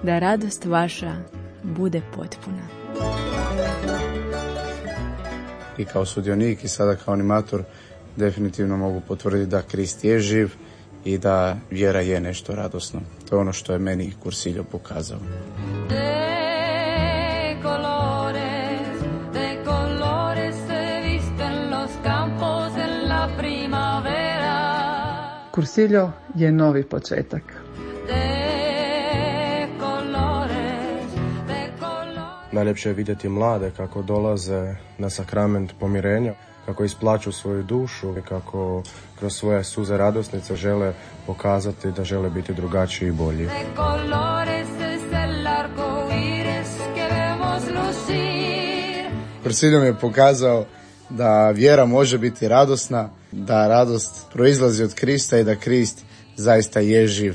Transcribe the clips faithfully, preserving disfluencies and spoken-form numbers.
da radost vaša bude potpuna. I kao sudionik i sada kao animator definitivno mogu potvrditi da Krist je živ i da vjera je nešto radosno. To je ono što je meni Cursillo pokazao. Cursillo je novi početak. Najljepše je vidjeti mlade kako dolaze na sakrament pomirenja, kako isplaću svoju dušu i kako kroz svoje suze radosnice žele pokazati da žele biti drugačiji i bolji. Cursillo mi je pokazao da vjera može biti radosna, da radost proizlazi od Krista i da Krist zaista je živ.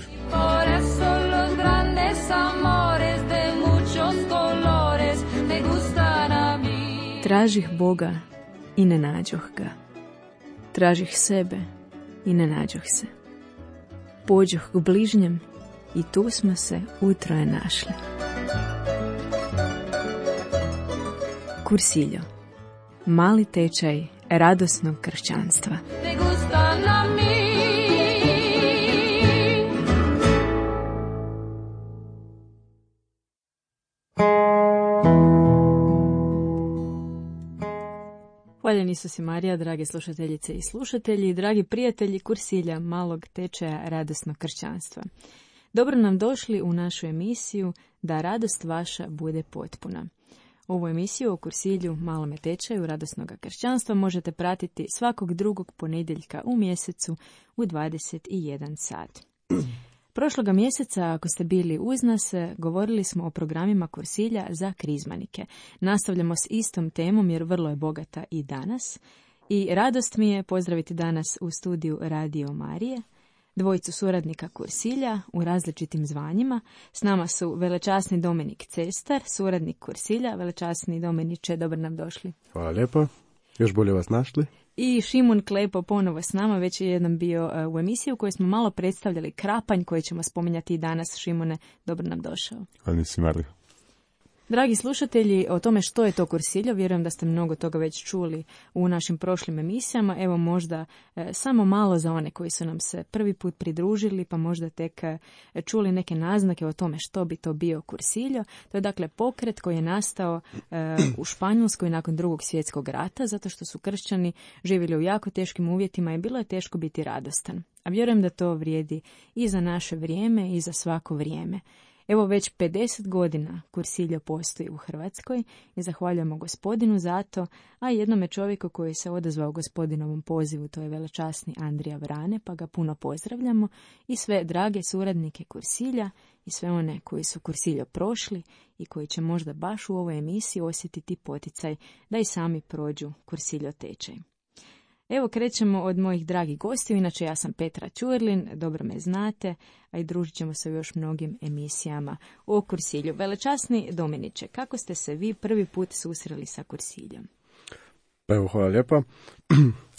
Tražih Boga i ne nađoh ga. Tražih sebe i ne nađoh se. Pođoh k bližnjem i tu smo se utroje našli. Cursillo. Mali tečaj radosnog kršćanstva. Hvaljeni Isus i Marija, drage slušateljice i slušatelji, dragi prijatelji Cursilja, malog tečaja radosnog kršćanstva. Dobro nam došli u našu emisiju Da radost vaša bude potpuna. Ovu emisiju o Cursilju, malome tečaju radosnog kršćanstva možete pratiti svakog drugog ponedjeljka u mjesecu u dvadeset jedan sat. Prošloga mjeseca, ako ste bili uz nas, govorili smo o programima Cursilja za krizmanike. Nastavljamo s istom temom jer vrlo je bogata i danas. I radost mi je pozdraviti danas u studiju Radio Marije dvojicu suradnika Cursilja u različitim zvanjima. S nama su velečasni Dominik Cestar, suradnik Cursilja. Velečasni Dominiče, dobro nam došli. Hvala lijepo, još bolje vas našli. I Šimun Klepo ponovo s nama, već je jednom bio uh, u emisiji u kojoj smo malo predstavljali Krapanj, koji ćemo spominjati i danas. Šimune, dobro nam došao. Hvala nisi Marija. Dragi slušatelji, o tome što je to Cursillo, vjerujem da ste mnogo toga već čuli u našim prošlim emisijama. Evo možda e, samo malo za one koji su nam se prvi put pridružili, pa možda tek e, čuli neke naznake o tome što bi to bio Cursillo. To je dakle pokret koji je nastao e, u Španjolskoj nakon drugog svjetskog rata, zato što su kršćani živjeli u jako teškim uvjetima i bilo je teško biti radostan. A vjerujem da to vrijedi i za naše vrijeme i za svako vrijeme. Evo već pedeset godina Cursillo postoji u Hrvatskoj i zahvaljujemo Gospodinu za to, a jednome čovjeku koji se odazvao Gospodinovom pozivu, to je velečasni Andrija Vrane, pa ga puno pozdravljamo, i sve drage suradnike Cursilja i sve one koji su Cursillo prošli i koji će možda baš u ovoj emisiji osjetiti poticaj da i sami prođu Cursillo tečaj. Evo krećemo od mojih dragih gostiju, inače ja sam Petra Ćurlin, dobro me znate, a i družit ćemo se u još mnogim emisijama o Cursilju. Velečasni Dominiče, kako ste se vi prvi put susreli sa Cursiljom? Pa evo, hvala lijepa.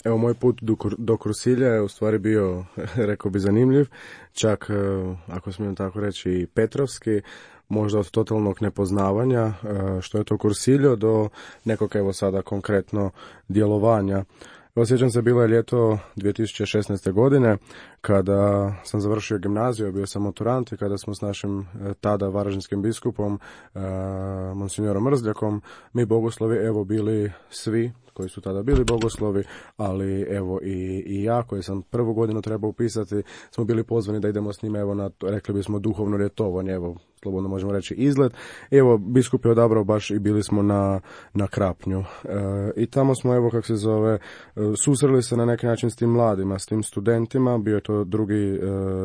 Evo, moj put do, do Cursilja je u stvari bio, rekao bi, zanimljiv, čak, ako smijem tako reći, i petrovski, možda od totalnog nepoznavanja što je to Cursillo do nekog, evo sada konkretno, djelovanja. Osjećam se, bilo je ljeto dvije tisuće šesnaeste. godine, kada sam završio gimnaziju, bio sam maturant i kada smo s našim tada varaždinskim biskupom, monsignorom Mrzljakom, mi bogoslovi, evo, bili svi koji su tada bili bogoslovi, ali evo i, i ja koji sam prvu godinu trebao upisati, smo bili pozvani da idemo s njima, evo, na, rekli bismo, duhovno ljetovanje, evo, slobodno možemo reći izlet. Evo, biskup je odabrao baš i bili smo na, na Krapnju. E, I tamo smo, evo, kako se zove, susreli se na neki način s tim mladima, s tim studentima. Bio je to drugi, e,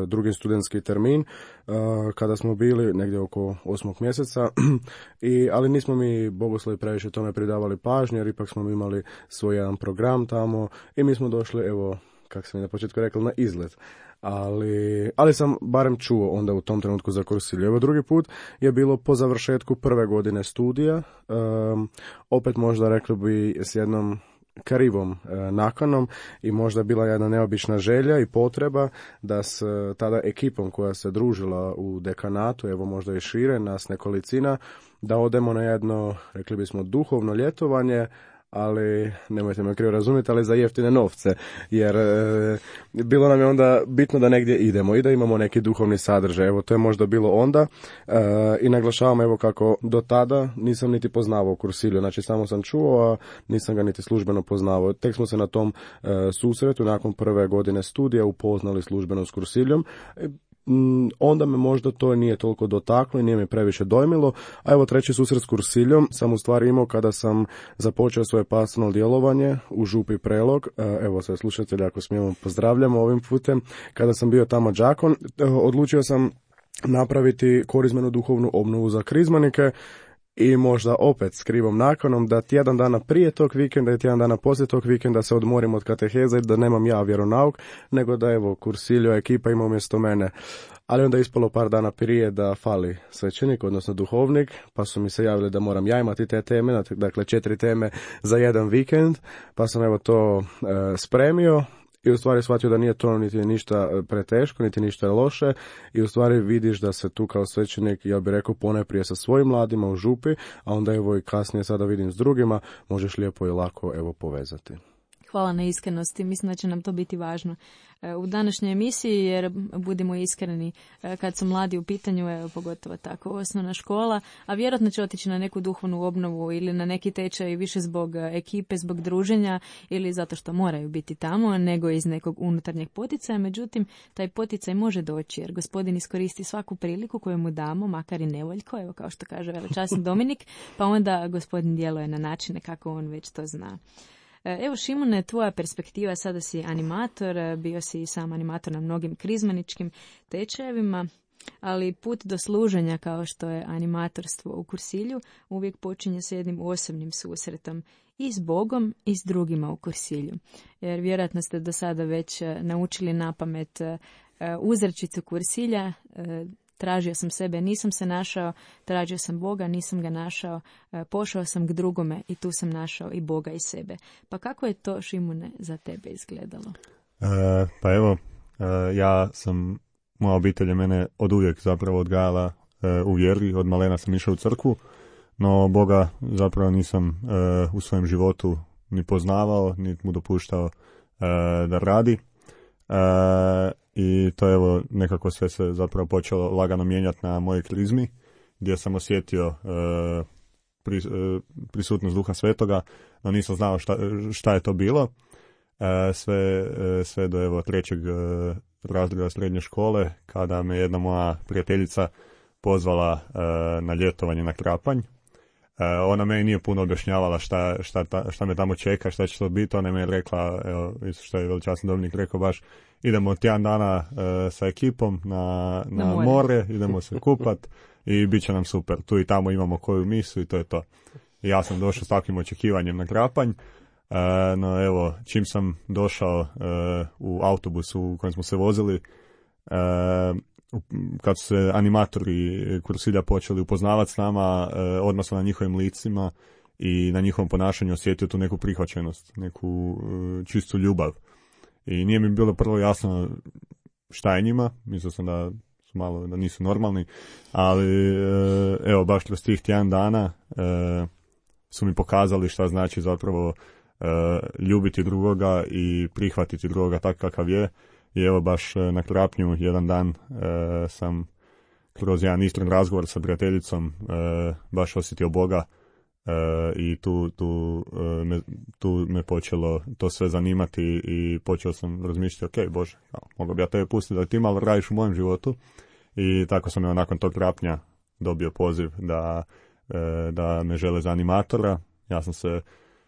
drugi studentski termin, e, kada smo bili negdje oko osmog mjeseca, I, ali nismo mi bogoslovi previše tome pridavali pažnje, jer ipak smo imali svoj jedan program tamo i mi smo došli, evo, kako sam i na početku rekao, na izlet. Ali, ali sam barem čuo onda u tom trenutku za Cursillo. Evo, drugi put je bilo po završetku prve godine studija, um, opet možda rekli bi s jednom krivom e, nakanom i možda bila jedna neobična želja i potreba da s tada ekipom koja se družila u dekanatu, evo možda i šire, nas nekolicina, da odemo na jedno, rekli bismo, duhovno ljetovanje, ali nemojte me krivo razumjeti, ali za jeftine novce, jer e, bilo nam je onda bitno da negdje idemo i da imamo neki duhovni sadržaj. Evo, to je možda bilo onda e, i naglašavam evo kako do tada nisam niti poznavao Kursilju, znači samo sam čuo, a nisam ga niti službeno poznavao. Tek smo se na tom e, susretu nakon prve godine studija upoznali službeno s Kursiljom. E, onda me možda to nije toliko dotaklo i nije me previše dojmilo, a evo treći susret s Kursiljom sam u stvari imao kada sam započeo svoje pastoralno djelovanje u Župi Prelog, evo sve slušatelji ako smijemo pozdravljamo ovim putem, kada sam bio tamo đakon, odlučio sam napraviti korizmenu duhovnu obnovu za krizmanike. I možda opet s krivom nakanom da tjedan dana prije tog vikenda i tjedan dana poslije tog vikenda se odmorim od kateheza i da nemam ja vjeronauk, nego da evo Kursiljo ekipa ima umjesto mene. Ali onda je ispalo par dana prije da fali svećenik, odnosno duhovnik, pa su mi se javili da moram ja imati te teme, dakle četiri teme za jedan vikend, pa sam evo to e, spremio. I u stvari shvatio da nije to niti ništa preteško, niti ništa loše i u stvari vidiš da se tu kao svećenik, ja bih rekao, ponajprije sa svojim mladima u župi, a onda evo i kasnije sada vidim s drugima, možeš lijepo i lako evo povezati. Hvala na iskrenosti, mislim da će nam to biti važno u današnjoj emisiji, jer budimo iskreni, kad su mladi u pitanju, evo, pogotovo tako osnovna škola, a vjerojatno će otići na neku duhovnu obnovu ili na neki tečaj više zbog ekipe, zbog druženja ili zato što moraju biti tamo, nego iz nekog unutarnjeg poticaja. Međutim, taj poticaj može doći jer Gospodin iskoristi svaku priliku koju mu damo, makar i nevoljko, evo kao što kaže velečasni Dominik, pa onda Gospodin djeluje na načine kako on već to zna. Evo Šimune, tvoja perspektiva, sada si animator, bio si i sam animator na mnogim krizmaničkim tečajevima, ali put do služenja kao što je animatorstvo u Kursilju uvijek počinje s jednim osobnim susretom i s Bogom i s drugima u Kursilju. Jer vjerojatno ste do sada već naučili napamet uzrečicu Kursilja, tražio sam sebe, nisam se našao, tražio sam Boga, nisam ga našao, pošao sam k drugome i tu sam našao i Boga i sebe. Pa kako je to, Šimune, za tebe izgledalo? E, pa evo, e, ja sam, moja obitelj je mene od uvijek zapravo odgajala e, u vjeri, od malena sam išao u crkvu, no Boga zapravo nisam e, u svojem životu ni poznavao, ni mu dopuštao e, da radi. E, I to je evo nekako sve se zapravo počelo lagano mijenjati na mojoj krizmi, gdje sam osjetio e, pri, e, prisutnost Duha Svetoga, no nisam znao šta, šta je to bilo. E, sve, e, sve do evo trećeg e, razreda srednje škole, kada me jedna moja prijateljica pozvala e, na ljetovanje na Krapanj. E, ona meni nije puno objašnjavala šta, šta, ta, šta me tamo čeka, šta će to biti. Ona me je rekla, evo, što je veličasni Dominik rekao baš, idemo tjedan dana e, sa ekipom na, na, na more. more, idemo se kupat i bit će nam super. Tu i tamo imamo koju misu i to je to. I ja sam došao s takvim očekivanjem na Krapanj, e, no evo, čim sam došao e, u autobusu u kojem smo se vozili, e, kad su se animatori Kursilja počeli upoznavati s nama, e, odmah sam na njihovim licima i na njihovom ponašanju osjetio tu neku prihvaćenost, neku e, čistu ljubav. I nije mi bilo prvo jasno šta je njima, mislio sam da su malo, da nisu normalni, ali e, evo baš kroz tih tjedan dana e, su mi pokazali šta znači zapravo e, ljubiti drugoga i prihvatiti drugoga tak kakav je. I evo baš na Krapnju jedan dan e, sam kroz jedan iskren razgovor sa prijateljicom e, baš osjetio Boga. E, i tu, tu, e, me, tu me počelo to sve zanimati i počeo sam razmišljati, ok, Bože, mogu bi ja tebe pustiti da ti malo radiš u mojem životu. I tako sam evo nakon tog Krapnja dobio poziv da, e, da me žele za animatora. Ja sam se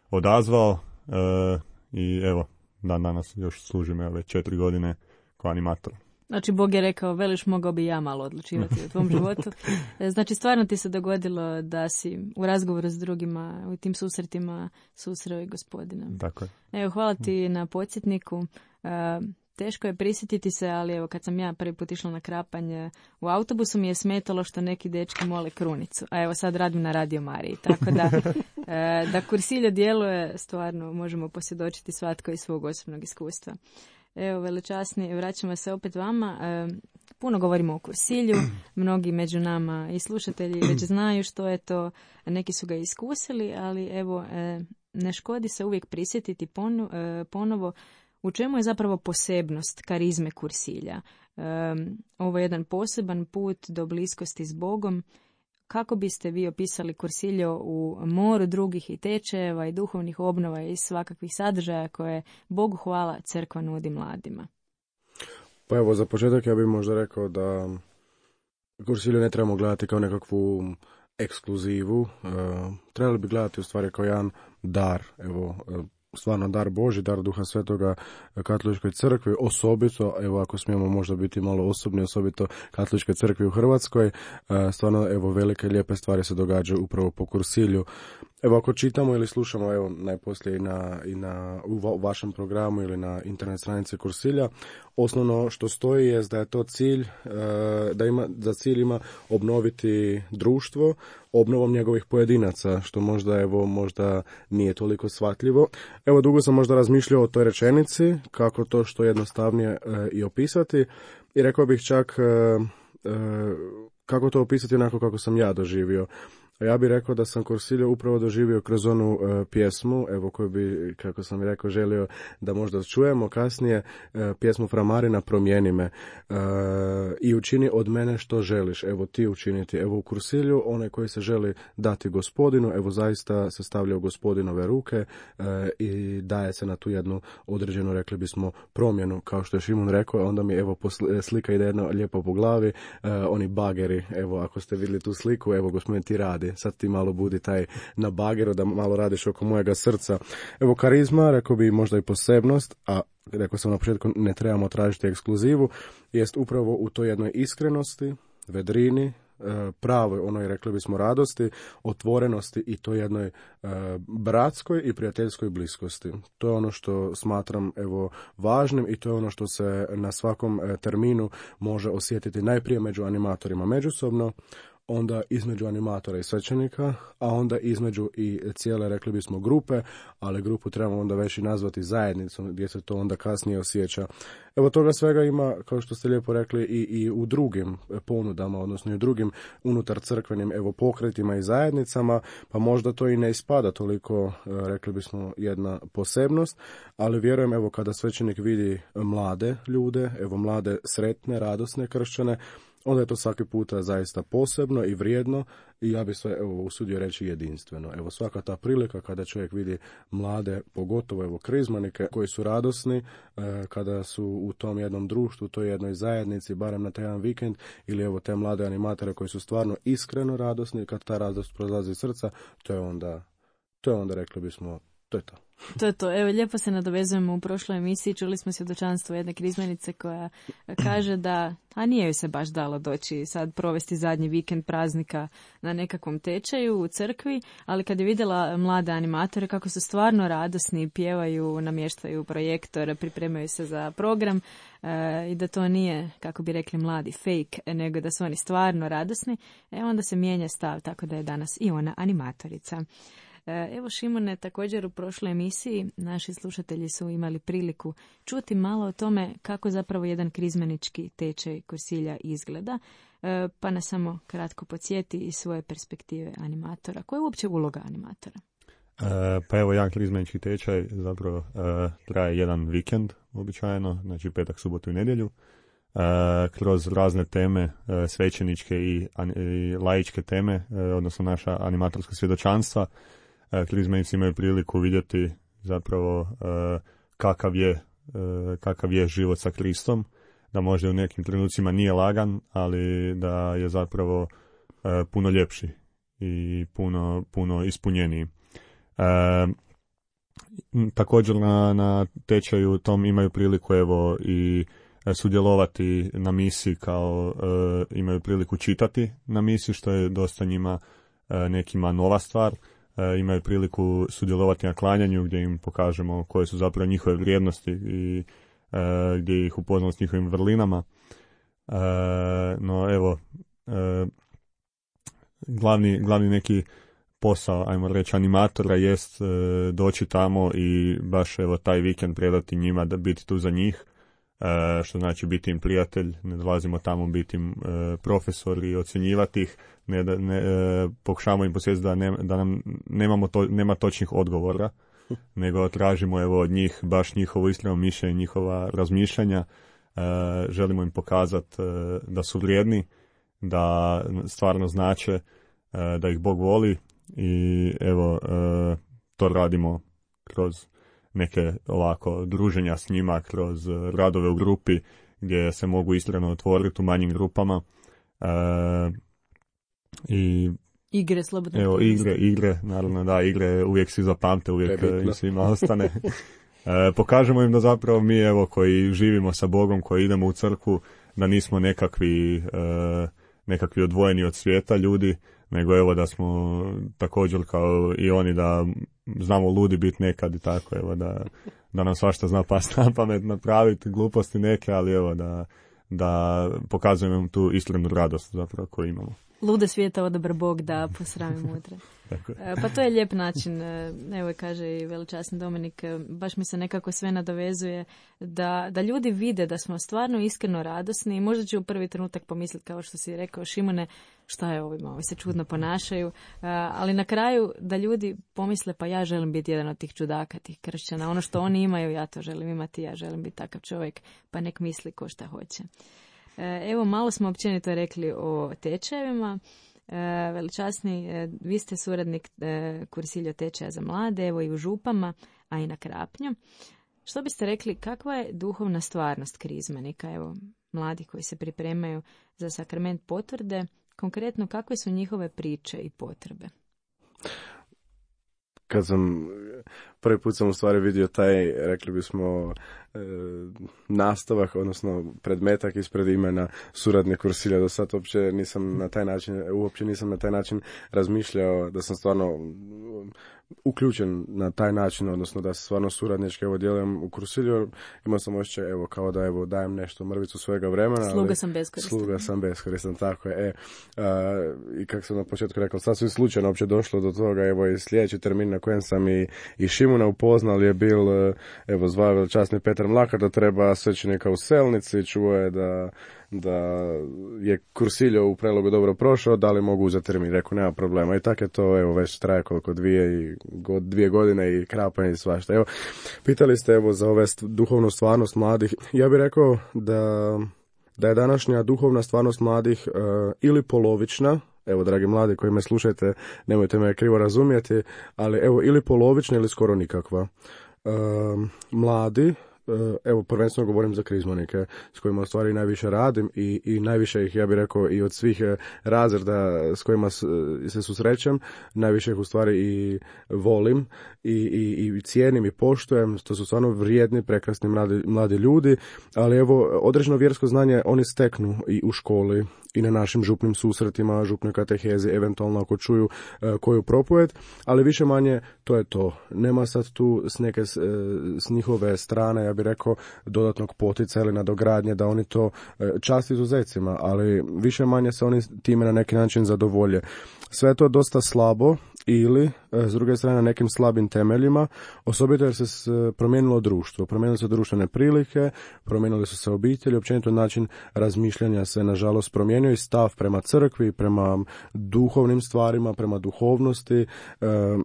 odazvao e, i evo, dan danas još služim evo, već četiri godine kao animator. Znači, Bog je rekao, veliš, mogao bi ja malo odlučivati o tvom životu. Znači, stvarno ti se dogodilo da si u razgovoru s drugima, u tim susretima susreo i Gospodina. Tako je. Evo, hvala ti na podsjetniku. teško je prisjetiti se, ali evo kad sam ja prvi put išla na Krapanj u autobusu mi je smetalo što neki dečki mole krunicu. A evo sad radim na Radio Mariji, tako da, e, da kursilje djeluje, stvarno možemo posvjedočiti svatko iz svog osobnog iskustva. Evo, velečasni, vraćamo se opet vama. E, puno govorimo o kursilju, mnogi među nama i slušatelji već znaju što je to, neki su ga iskusili, ali evo, e, ne škodi se uvijek prisjetiti ponu, e, ponovo u čemu je zapravo posebnost karizme kursilja. E, ovo je jedan poseban put do bliskosti s Bogom. Kako biste vi opisali kursiljo u moru drugih i tečajeva i duhovnih obnova i svakakvih sadržaja koje, Bogu hvala, crkva nudi mladima? Pa evo, za početak ja bih možda rekao da kursilju ne trebamo gledati kao nekakvu ekskluzivu. E, trebali bi gledati u stvari kao jedan dar, evo, stvarno dar Božji, dar Duha Svetoga Katoličkoj crkvi, osobito, evo ako smijemo možda biti malo osobni, osobito Katoličkoj crkvi u Hrvatskoj, stvarno evo velike lijepe stvari se događaju upravo po kursilju. Evo ako čitamo ili slušamo, evo najposlije i na, i na u vašem programu ili na internet stranici kursilja, osnovno što stoji je da je to cilj, da ima, za cilj ima obnoviti društvo obnovom njegovih pojedinaca, što možda evo možda nije toliko shvatljivo. Evo dugo sam možda razmišljao o toj rečenici, kako to što jednostavnije e, i opisati, i rekao bih čak e, e, kako to opisati onako kako sam ja doživio. Ja bih rekao da sam kursilje upravo doživio kroz onu e, pjesmu, evo koju bi, kako sam rekao, želio da možda čujemo kasnije, e, pjesmu Fra Marina Promijeni me, e, i učini od mene što želiš, evo ti učiniti. Evo u kursilju onaj koji se želi dati Gospodinu, evo zaista se stavlja u Gospodinove ruke e, i daje se na tu jednu određenu, rekli bismo, promjenu, kao što je Šimun rekao, onda mi evo posli, slika ide jedno lijepo po glavi, e, oni bageri, evo ako ste vidjeli tu sliku, evo Gospodin ti radi. Sad ti malo budi taj na bageru da malo radiš oko mojega srca. Evo karizma, rekao bi možda i posebnost, a rekao sam na početku ne trebamo tražiti ekskluzivu, jest upravo u toj jednoj iskrenosti, vedrini, pravoj onoj, rekli bismo, radosti, otvorenosti i to jednoj e, bratskoj i prijateljskoj bliskosti. To je ono što smatram evo važnim i to je ono što se na svakom e, terminu može osjetiti najprije među animatorima međusobno, onda između animatora i svećenika, a onda između i cijele, rekli bismo, grupe, ali grupu trebamo onda već i nazvati zajednicom, gdje se to onda kasnije osjeća. Evo toga svega ima, kao što ste lijepo rekli, i, i u drugim ponudama, odnosno i u drugim unutar crkvenim evo pokretima i zajednicama, pa možda to i ne ispada toliko, rekli bismo, jedna posebnost, ali vjerujem evo kada svećenik vidi mlade ljude, evo mlade sretne, radosne kršćane, onda je to svaki puta zaista posebno i vrijedno i ja bih sve evo usudio reći jedinstveno. Evo svaka ta prilika kada čovjek vidi mlade, pogotovo evo krizmanike koji su radosni, e, kada su u tom jednom društvu, u toj jednoj zajednici, barem na taj jedan vikend, ili evo te mlade animatore koji su stvarno iskreno radosni, kad ta radost prolazi iz srca, to je onda, to je onda rekli bismo, to je to. To je to. Evo, lijepo se nadovezujemo u prošloj emisiji. Čuli smo svjedočanstvo jedne krizmenice koja kaže da, a nije joj se baš dalo doći sad provesti zadnji vikend praznika na nekakvom tečaju u crkvi, ali kad je vidjela mlade animatore kako su stvarno radosni, pjevaju, namještaju projektor, pripremaju se za program e, i da to nije, kako bi rekli mladi, fake, nego da su oni stvarno radosni, e, onda se mijenja stav, tako da je danas i ona animatorica. Evo Šimone, također u prošloj emisiji naši slušatelji su imali priliku čuti malo o tome kako zapravo jedan krizmenički tečaj kursilja izgleda, pa nas samo kratko podsjeti iz svoje perspektive animatora. Koja je uopće uloga animatora? E, pa evo, jedan krizmenički tečaj zapravo e, traje jedan vikend običajno, znači petak, subotu i nedjelju. E, kroz razne teme, e, svećeničke i, i laičke teme, e, odnosno naša animatorska svjedočanstva, krizmenici imaju priliku vidjeti zapravo e, kakav je, e, kakav je život sa Kristom, da možda u nekim trenucima nije lagan, ali da je zapravo e, puno ljepši i puno, puno ispunjeniji. E, također na, na tečaju tom imaju priliku evo i sudjelovati na misi, kao e, imaju priliku čitati na misi, što je dosta njima e, nekima nova stvar. E, imaju priliku sudjelovati na klanjanju gdje im pokažemo koje su zapravo njihove vrijednosti i gdje ih upoznao s njihovim vrlinama. E, no evo, e, glavni, glavni neki posao, ajmo reći, animatora jest e, doći tamo i baš evo taj vikend predati njima, da biti tu za njih, e, što znači biti im prijatelj, ne dolazimo tamo biti im e, profesor i ocjenjivati ih, ne, ne, e, pokušavamo im posjetiti da, ne, da nam nemamo to, nema točnih odgovora, nego tražimo evo od njih baš njihovo iskreno mišljenje, njihova razmišljanja, e, želimo im pokazati e, da su vrijedni, da stvarno znače, e, da ih Bog voli. I evo, e, to radimo kroz neke ovako druženja s njima, kroz radove u grupi gdje se mogu iskreno otvoriti u manjim grupama. E, i igre, slobodno. Evo, igre, igre, naravno da, igre uvijek svi zapamte, uvijek im svima ostane. E, pokažemo im da zapravo mi, evo, koji živimo sa Bogom, koji idemo u crkvu, da nismo nekakvi, e, nekakvi odvojeni od svijeta ljudi, nego evo da smo također kao i oni, da znamo ludi biti nekad i tako, evo da, da nam svašta zna pasti na pamet, napraviti gluposti neke, ali evo da, da pokazujemo tu iskrenu radost zapravo koju imamo. Lude svijeta odabra Bog da posrami mudre. Pa to je lijep način, evo kaže i veličasni Dominik, baš mi se nekako sve nadovezuje da, da ljudi vide da smo stvarno iskreno radosni i možda će u prvi trenutak pomisliti, kao što si rekao, Šimone, šta je ovima, ovi se čudno ponašaju, ali na kraju da ljudi pomisle, pa ja želim biti jedan od tih čudaka, tih kršćana, ono što oni imaju, ja to želim imati, ja želim biti takav čovjek, pa nek misli ko šta hoće. Evo, malo smo općenito rekli o tečajevima. Veličasni, vi ste suradnik kursilja tečaja za mlade, evo i u Župama, a i na Krapnju. Što biste rekli, kakva je duhovna stvarnost krizmanika, evo, mladi koji se pripremaju za sakrament potvrde, konkretno kakve su njihove priče i potrebe? Kad sam, prvi put sam u stvari vidio taj, rekli bismo, e, nastavak, odnosno predmetak ispred imena suradnik kursilja. Do sad uopće nisam na taj način, uopće nisam na taj način razmišljao da sam stvarno uključen na taj način, odnosno da se stvarno suradnički evo djelujem u kursilju. Imao sam osjećaj evo kao da evo dajem nešto, mrvicu svojega vremena. Sluga ali, sam beskoristan. Sluga sam beskoristan, tako je. E, a, i kako sam na početku rekao, sad su i slučajno uopće došlo do toga, evo i sljedeći termin na kojem sam i, i Šimuna upoznal je bil, evo zvao veličasni Petar Mlakar da treba svećenika u Selnici, čuo je da da je kursiljo u Prelogu dobro prošao, da li mogu uzeti termin, rekao nema problema i tako je to, evo već traje koliko dvije, i, god, dvije godine i krapanje i svašta. Evo, pitali ste evo za ove st- duhovnu stvarnost mladih, ja bih rekao da, da je današnja duhovna stvarnost mladih uh, ili polovična, evo dragi mladi koji me slušajte, nemojte me krivo razumjeti, ali evo ili polovična ili skoro nikakva. Uh, mladi, evo prvenstveno govorim za krizmonike s kojima u stvari najviše radim i, i najviše ih, ja bih rekao, i od svih razreda s kojima se susrećem, najviše ih u stvari i volim i, i, i cijenim i poštujem. To su stvarno vrijedni, prekrasni mladi, mladi ljudi, ali evo određeno vjersko znanje oni steknu i u školi i na našim župnim susretima, župnoj katehezi, eventualno ako čuju uh, koju propovijed, ali više manje to je to. Nema sad tu s neke s, s njihove strane, ja bih rekao, dodatnog potica ili nadogradnje da oni to uh, čast izuzecima, ali više manje se oni time na neki način zadovolje. Sve je to dosta slabo ili, s druge strane, na nekim slabim temeljima, osobito jer se promijenilo društvo, promijenile su društvene prilike, promijenili su se obitelji, općenito način razmišljanja se, nažalost, promijenio i stav prema crkvi, prema duhovnim stvarima, prema duhovnosti. E,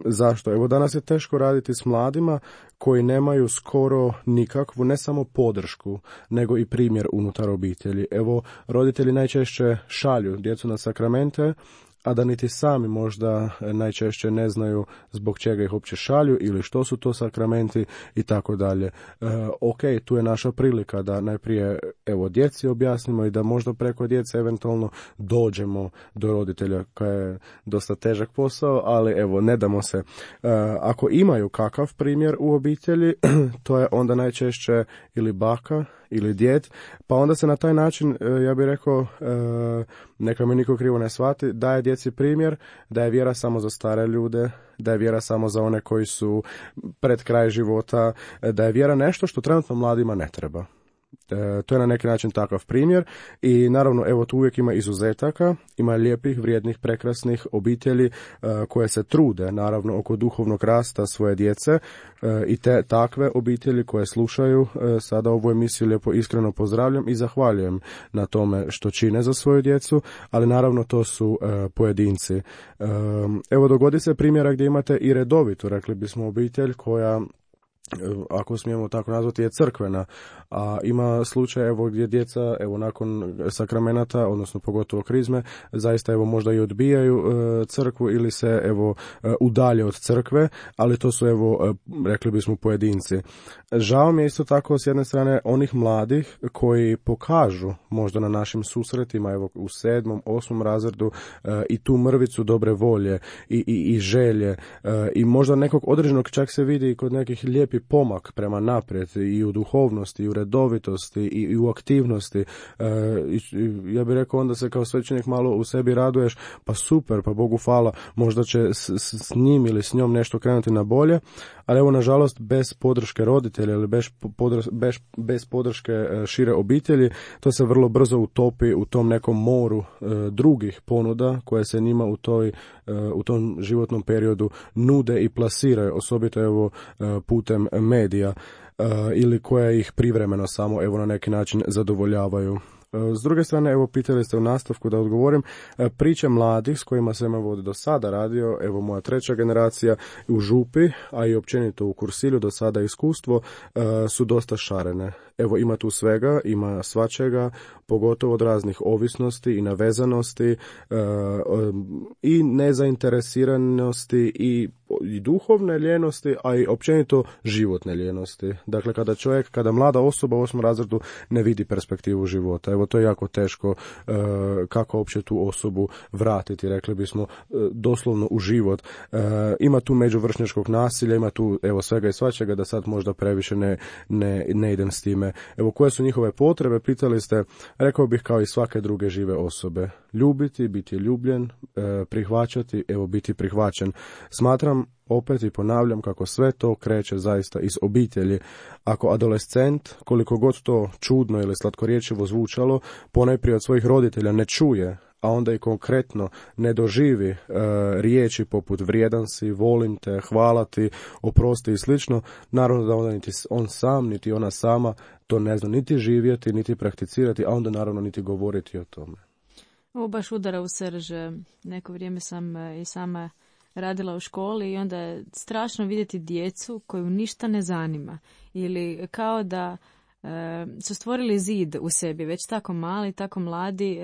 zašto? Evo, danas je teško raditi s mladima koji nemaju skoro nikakvu, ne samo podršku, nego i primjer unutar obitelji. Evo, roditelji najčešće šalju djecu na sakramente, a da niti sami možda najčešće ne znaju zbog čega ih uopće šalju ili što su to sakramenti i tako dalje. E, ok, tu je naša prilika da najprije evo djeci objasnimo i da možda preko djece eventualno dođemo do roditelja, koja je dosta težak posao, ali evo ne damo se. E, ako imaju kakav primjer u obitelji, to je onda najčešće ili baka ili djed, pa onda se na taj način, ja bih rekao, neka me niko krivo ne shvati, daje djeci primjer da je vjera samo za stare ljude, da je vjera samo za one koji su pred kraj života, da je vjera nešto što trenutno mladima ne treba. E, to je na neki način takav primjer i naravno evo tu uvijek ima izuzetaka, ima lijepih, vrijednih, prekrasnih obitelji e, koje se trude naravno oko duhovnog rasta svoje djece e, i te takve obitelji koje slušaju e, sada ovu emisiju lijepo iskreno pozdravljam i zahvaljujem na tome što čine za svoju djecu, ali naravno to su e, pojedinci. E, evo dogodi se primjera gdje imate i redovitu, rekli bismo obitelj koja, ako smijemo tako nazvati, je crkvena, a ima slučaj evo gdje djeca evo nakon sakramenata, odnosno pogotovo krizme, zaista evo možda i odbijaju e, crkvu ili se evo e, udalje od crkve, ali to su evo e, rekli bismo pojedinci. Žao mi je isto tako s jedne strane onih mladih koji pokažu možda na našim susretima evo u sedmom, osmom razredu e, i tu mrvicu dobre volje i, i, i želje e, i možda nekog određenog, čak se vidi kod nekih lijepih pomak prema naprijed i u duhovnosti, i u redovitosti, i, i u aktivnosti. E, i, ja bih rekao onda se kao svećenik malo u sebi raduješ, pa super, pa Bogu hvala, možda će s, s, s njim ili s njom nešto krenuti na bolje, ali evo nažalost bez podrške roditelja ili bez, podr, bez, bez podrške šire obitelji, to se vrlo brzo utopi u tom nekom moru e, drugih ponuda koje se njima u, toj, e, u tom životnom periodu nude i plasiraju, osobito evo e, putem medija uh, ili koje ih privremeno samo evo na neki način zadovoljavaju. Uh, s druge strane, evo pitali ste u nastavku da odgovorim, uh, priče mladih s kojima sam evo do sada radio, evo moja treća generacija u Župi, a i općenito u Kursilju do sada iskustvo, uh, su dosta šarene. Evo ima tu svega, ima svačega, pogotovo od raznih ovisnosti i navezanosti uh, um, i nezainteresiranosti i, i duhovne ljenosti, a i općenito životne ljenosti. Dakle, kada čovjek, kada mlada osoba u osmom razredu ne vidi perspektivu života, evo to je jako teško uh, kako uopće tu osobu vratiti, rekli bismo, uh, doslovno u život. Uh, ima tu međuvršnjačkog nasilja, ima tu evo svega i svačega, da sad možda previše ne, ne, ne idem s time. Evo, koje su njihove potrebe, pitali ste, rekao bih kao i svake druge žive osobe. Ljubiti, biti ljubljen, e, prihvaćati, evo biti prihvaćen. Smatram, opet i ponavljam, kako sve to kreće zaista iz obitelji. Ako adolescent, koliko god to čudno ili slatkorječivo zvučalo, ponajprije od svojih roditelja ne čuje, a onda i konkretno ne doživi e, riječi poput vrijedan si, volim te, hvala ti, oprosti i slično, naravno da onda niti on sam, niti ona sama to ne zna niti živjeti, niti prakticirati, a onda naravno niti govoriti o tome. Ovo baš udara u srž. Neko vrijeme sam i sama radila u školi i onda je strašno vidjeti djecu koju ništa ne zanima ili kao da su stvorili zid u sebi, već tako mali, tako mladi,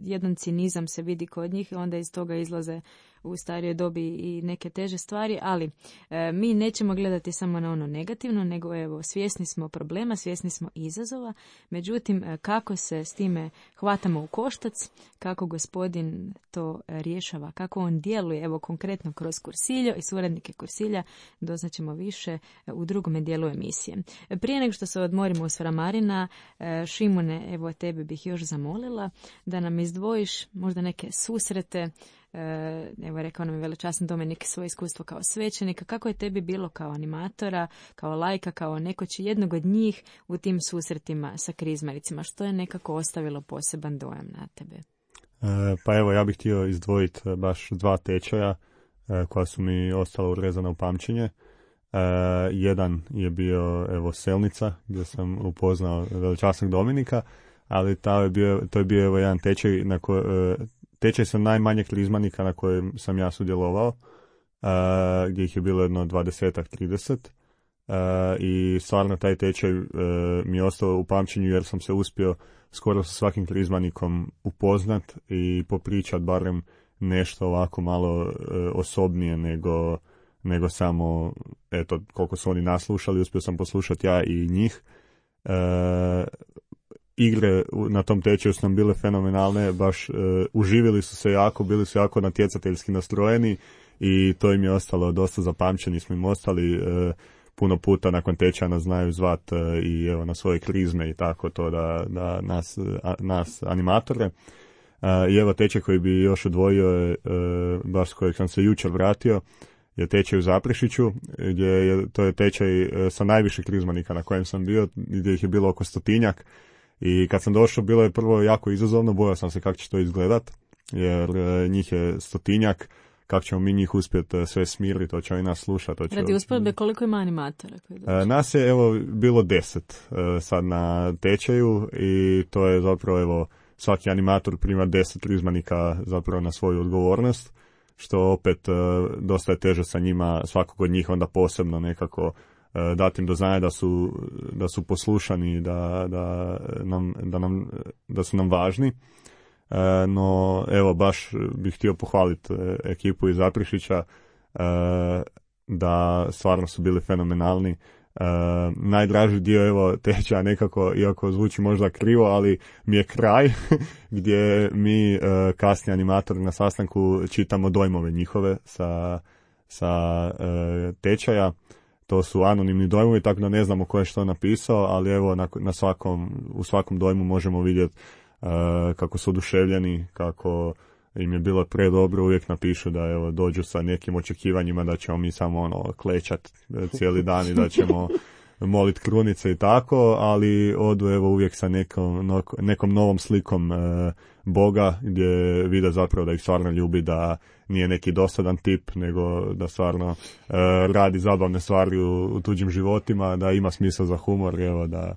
jedan cinizam se vidi kod njih, onda iz toga izlaze u starijoj dobi i neke teže stvari, ali e, mi nećemo gledati samo na ono negativno, nego evo, svjesni smo problema, svjesni smo izazova, međutim, e, kako se s time hvatamo u koštac, kako gospodin to e, rješava, kako on djeluje, evo konkretno kroz Kursiljo i suradnike Kursilja, doznaćemo više e, u drugome dijelu emisije. E, prije nego što se odmorimo u Svramarina, e, Šimune, evo tebe bih još zamolila da nam izdvojiš možda neke susrete. Evo, rekao nam je velečasni Dominik svoje iskustvo kao svećenika. Kako je tebi bilo kao animatora, kao lajka, kao neko će jednog od njih u tim susretima sa krizmaricima? Što je nekako ostavilo poseban dojam na tebe? E, pa evo, ja bih htio izdvojiti baš dva tečaja e, koja su mi ostala urezana u pamćenje. E, jedan je bio evo Selnica, gdje sam upoznao velečasnog Dominika, ali to je bio, to je bio evo jedan tečaj na koji... E, Tečaj sam najmanjeg krizmanika na kojem sam ja sudjelovao, uh, gdje ih je bilo jedno dvadesetak, trideset. Uh, I stvarno taj tečaj uh, mi je ostao u pamćenju jer sam se uspio skoro sa svakim krizmanikom upoznat i popričat barem nešto ovako malo uh, osobnije nego, nego samo eto, koliko su oni naslušali, uspio sam poslušati ja i njih. Uh, Igre na tom tečaju su nam bile fenomenalne, baš uh, uživili su se jako, bili su jako natjecateljski nastrojeni i to im je ostalo dosta zapamćeni, smo im ostali uh, puno puta nakon tečaja nas znaju zvat uh, i evo na svoje krizme i tako to da, da nas, a, nas animatore. Uh, I evo tečaj koji bi još odvojio je, uh, baš s kojeg sam se jučer vratio, je tečaj u Zaprešiću, gdje je, to je tečaj sa najviše krizmanika na kojem sam bio, gdje ih je bilo oko stotinjak. I kad sam došao, bilo je prvo jako izazovno, bojao sam se kako će to izgledat, jer njih je stotinjak, kako ćemo mi njih uspjeti sve smiriti, to će oni nas slušati. Radi usporedbe, koliko ima animatora? Nas je evo bilo deset sad na tečaju i to je zapravo evo svaki animator prima deset krizmanika zapravo na svoju odgovornost, što opet dosta je teže sa njima, svakog od njih onda posebno nekako dati im do znanja da su, da su poslušani, da, da, nam, da, nam, da su nam važni. No, evo, baš bih htio pohvaliti ekipu iz Zaprešića, da stvarno su bili fenomenalni. Najdraži dio, evo, tečaja nekako, iako zvuči možda krivo, ali mi je kraj gdje mi kasni animatori na sastanku čitamo dojmove njihove sa, sa tečaja. To su anonimni dojmovi, tako da ne znamo ko je što napisao, ali evo na, na svakom, u svakom dojmu možemo vidjeti uh, kako su oduševljeni, kako im je bilo predobro, uvijek napišu da evo dođu sa nekim očekivanjima da ćemo mi samo ono klečat cijeli dan i da ćemo molit krunice i tako, ali odu evo uvijek sa nekom, nekom novom slikom uh, Boga, gdje vide zapravo da ih stvarno ljubi, da nije neki dosadan tip, nego da stvarno uh, radi zabavne stvari u, u tuđim životima, da ima smisla za humor, evo, da,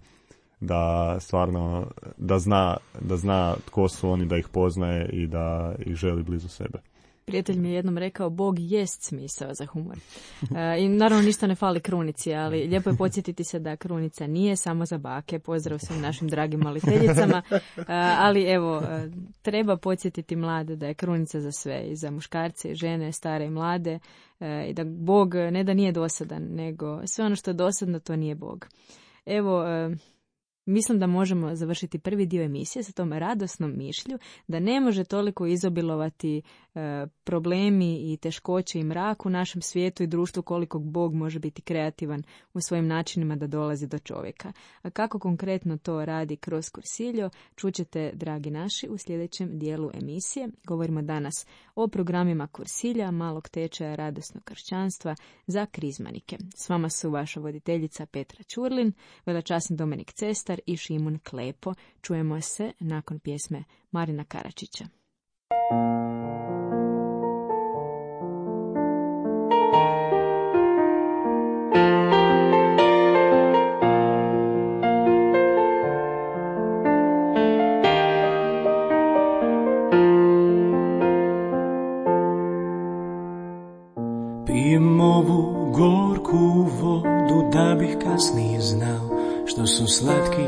da stvarno da zna, da zna tko su oni, da ih poznaje i da ih želi blizu sebe. Prijatelj mi je jednom rekao, Bog jest smisao za humor. E, I naravno ništa ne fali krunici, ali lijepo je podsjetiti se da krunica nije samo za bake. Pozdrav svim našim dragim moliteljicama. E, ali evo, treba podsjetiti mlade da je krunica za sve, i za muškarce, i žene, stare i mlade. E, I da Bog ne da nije dosadan, nego sve ono što je dosadno, to nije Bog. Evo, e, mislim da možemo završiti prvi dio emisije sa tom radosnom mišlju da ne može toliko izobilovati e, problemi i teškoće i mrak u našem svijetu i društvu koliko Bog može biti kreativan u svojim načinima da dolazi do čovjeka. A kako konkretno to radi kroz Kursiljo, čućete, dragi naši, u sljedećem dijelu emisije. Govorimo danas o programima Kursilja, malog tečaja radosnog kršćanstva za krizmanike. S vama su vaša voditeljica Petra Ćurlin, velečasni Dominik Cestar i Šimun Klepo. Čujemo se nakon pjesme Marina Karačića. Pijem ovu gorku vodu da bih kasnije znao što su slatki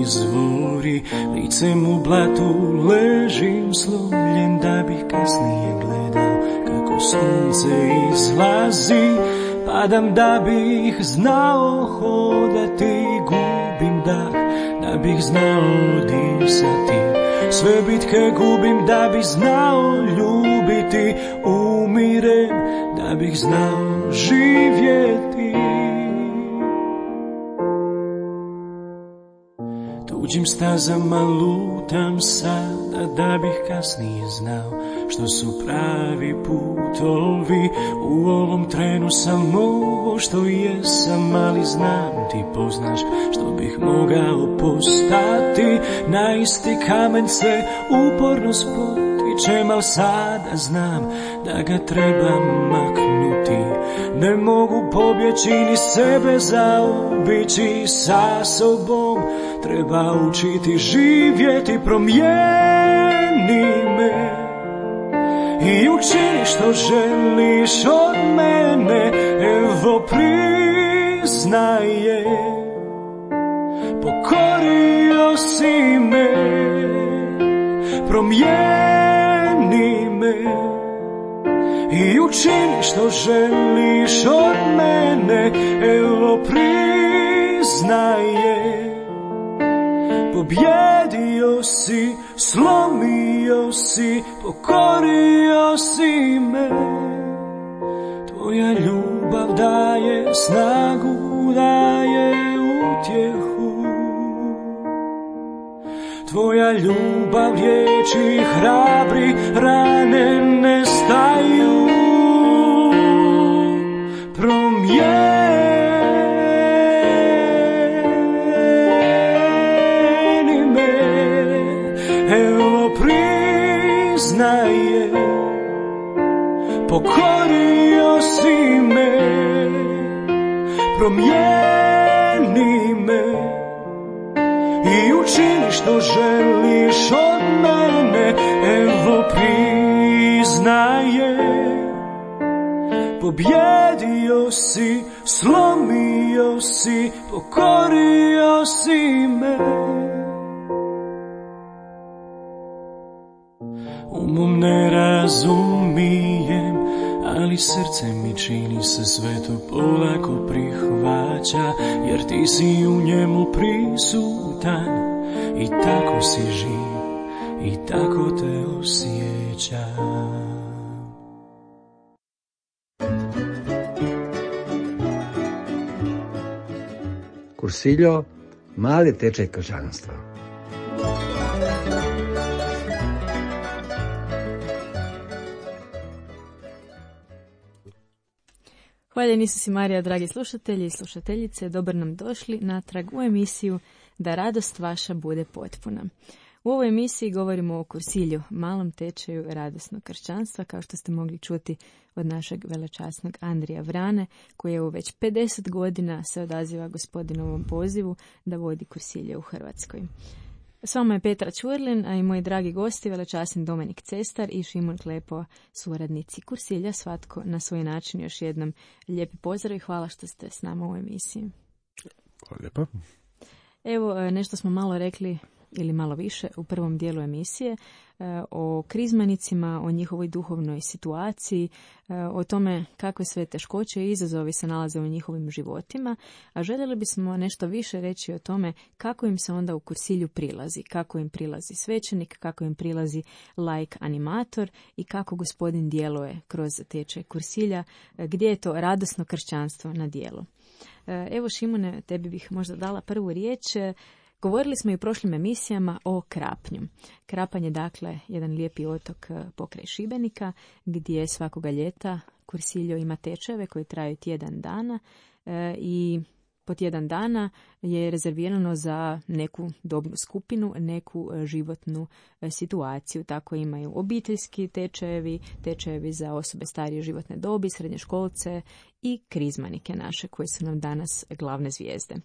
izvori, licem u blatu ležim slomljen da bih kasnije gledao kako sunce izlazi, padam da bih znao hodati, gubim dah da bih znao disati, sve bitke gubim da bih znao ljubiti, umirem da bih znao živjeti. Tuđim stazama lutam sada da bih kasnije znao što su pravi putovi. U ovom trenu sam ovo što jesam, ali znam ti poznaš što bih mogao postati. Na isti kamen se uporno spotičem, al sada znam da ga trebam maknuti. Ne mogu pobjeći ni sebe zaobići, sa sobom treba učiti živjeti. Promijeni me i učini što želiš od mene, evo priznaje, pokorio si me. Promijeni me i učini što želiš od mene, evo priznaje, pobjedio si, slomio si, pokorio si me. Tvoja ljubav daje snagu, daje utjehu. Tvoja ljubav riječi hrabri, rane nestaju. pokorio si me, promijeni me i učini što želiš od mene. Evo priznaje, pobjedio si, slomio si, pokorio si me. Umom ne razumijem, ali srce mi čini se sve to polako prihvaća, jer ti si u njemu prisutan i tako si živ i tako te osjećam. Cursillo, mali tečaj kršćanstva. Hvaljen Isus i Marija, dragi slušatelji i slušateljice, dobro nam došli natrag u emisiju Da radost vaša bude potpuna. U ovoj emisiji govorimo o kursilju, malom tečaju radosnog kršćanstva, kao što ste mogli čuti od našeg velečasnog Andrija Vrane, koji je u već pedeset godina se odaziva gospodinovom pozivu da vodi kursilje u Hrvatskoj. S vama je Petra Čurlin, a i moji dragi gosti, velečasni Dominik Cestar i Šimon Klepo, suradnici kursilja, svatko na svoj način. Još jednom lijepi pozdrav i hvala što ste s nama u emisiji. Hvala lijepa. Evo, nešto smo malo rekli ili malo više u prvom dijelu emisije o krizmanicima, o njihovoj duhovnoj situaciji, o tome kakve sve teškoće i izazovi se nalaze u njihovim životima, a željeli bismo nešto više reći o tome kako im se onda u kursilju prilazi, kako im prilazi svećenik, kako im prilazi laik animator i kako gospodin djeluje kroz tečaj kursilja, gdje je to radosno kršćanstvo na djelu. Evo, Šimune, tebi bih možda dala prvu riječ. Govorili smo i u prošlim emisijama o Krapnju. Krapanj je dakle jedan lijepi otok pokraj Šibenika gdje svakoga ljeta kursiljo ima tečajeve koji traju tjedan dana e, i po tjedan dana je rezervirano za neku dobnu skupinu, neku životnu situaciju. Tako imaju obiteljski tečajevi, tečajevi za osobe starije životne dobi, srednjoškolce i krizmanike naše koji su nam danas glavne zvijezde.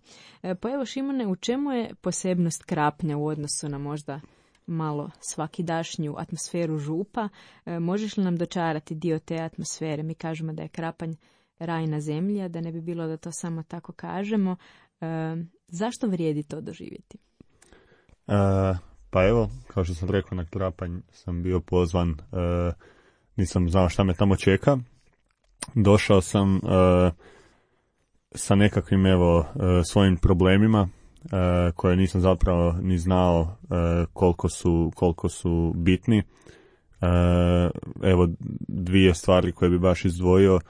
Pa evo, Šimone, u čemu je posebnost Krapnja u odnosu na možda malo svakidašnju atmosferu župa? Možeš li nam dočarati dio te atmosfere? Mi kažemo da je Krapanj raj na zemlji, a da ne bi bilo da to samo tako kažemo. E, zašto vrijedi to doživjeti? E, pa evo, kao što sam rekao, na Krapanj sam bio pozvan, e, nisam znao šta me tamo čeka. Došao sam e, sa nekakvim evo e, svojim problemima e, koje nisam zapravo ni znao e, koliko su, koliko su bitni. E, evo dvije stvari koje bi baš izdvojio.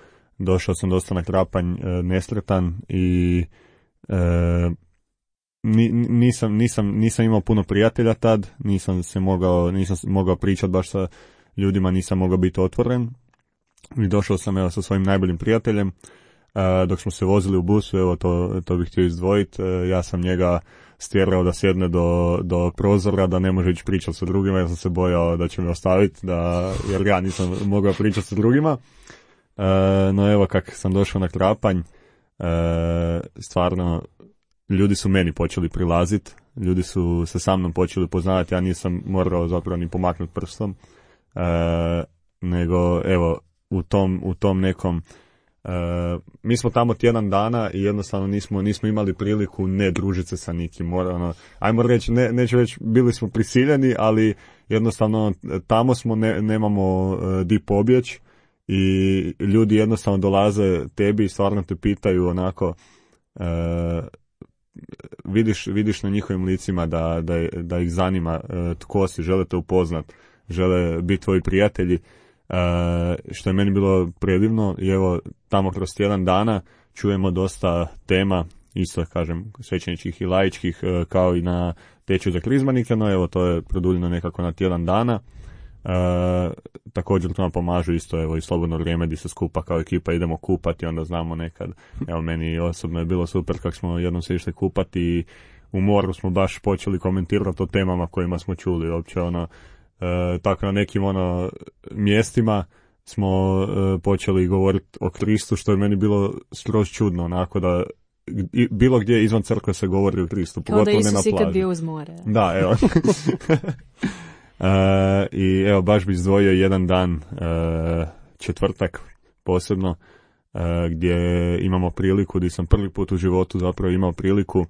Došao sam dosta na Krapanj e, nesretan i e, ni, nisam, nisam, nisam imao puno prijatelja tad, nisam se mogao, nisam mogao pričati baš sa ljudima, nisam mogao biti otvoren. I došao sam evo sa svojim najboljim prijateljem, e, dok smo se vozili u busu, evo to, to bih htio izdvojiti, e, ja sam njega stjerao da sjedne do, do prozora, da ne može ići pričati sa drugima, jer sam se bojao da će me ostaviti, da, jer ja nisam mogao pričati sa drugima. Uh, no evo, kak sam došao na Krapanj, uh, stvarno ljudi su meni počeli prilaziti, ljudi su se sa mnom počeli poznavati, ja nisam morao zapravo ni pomaknuti prstom, uh, nego evo u tom, u tom nekom, uh, mi smo tamo tjedan dana i jednostavno nismo, nismo imali priliku ne družiti se sa nikim, ono, ajmo reći, ne, neću reći, bili smo prisiljeni, ali jednostavno tamo smo, ne, nemamo uh, di pobjeći. I ljudi jednostavno dolaze tebi i stvarno te pitaju onako, e, vidiš, vidiš na njihovim licima da, da, da ih zanima e, tko si, žele te upoznat, žele biti tvoji prijatelji, e, što je meni bilo predivno. I evo tamo kroz tjedan dana čujemo dosta tema, isto kažem svećeničkih i laičkih, e, kao i na tečaju za krizmanike, no evo to je produljeno nekako na tjedan dana. E, također to nam pomažu isto evo i slobodno vrijeme gdje se skupa kao ekipa idemo kupati, onda znamo nekad, evo meni osobno je bilo super kako smo jednom se išli kupati i u moru smo baš počeli komentirati o temama kojima smo čuli uopće ono, e, tako na nekim ono mjestima smo e, počeli govoriti o Kristu, što je meni bilo skroz čudno, onako da i, bilo gdje izvan crkve se govori o Kristu, pogotovo ne na plaži. Kao da Isus ikad bio uz more. Da, evo. e, I evo, baš bi izdvojio jedan dan, e, četvrtak posebno, e, gdje imamo priliku, gdje sam prvi put u životu zapravo imao priliku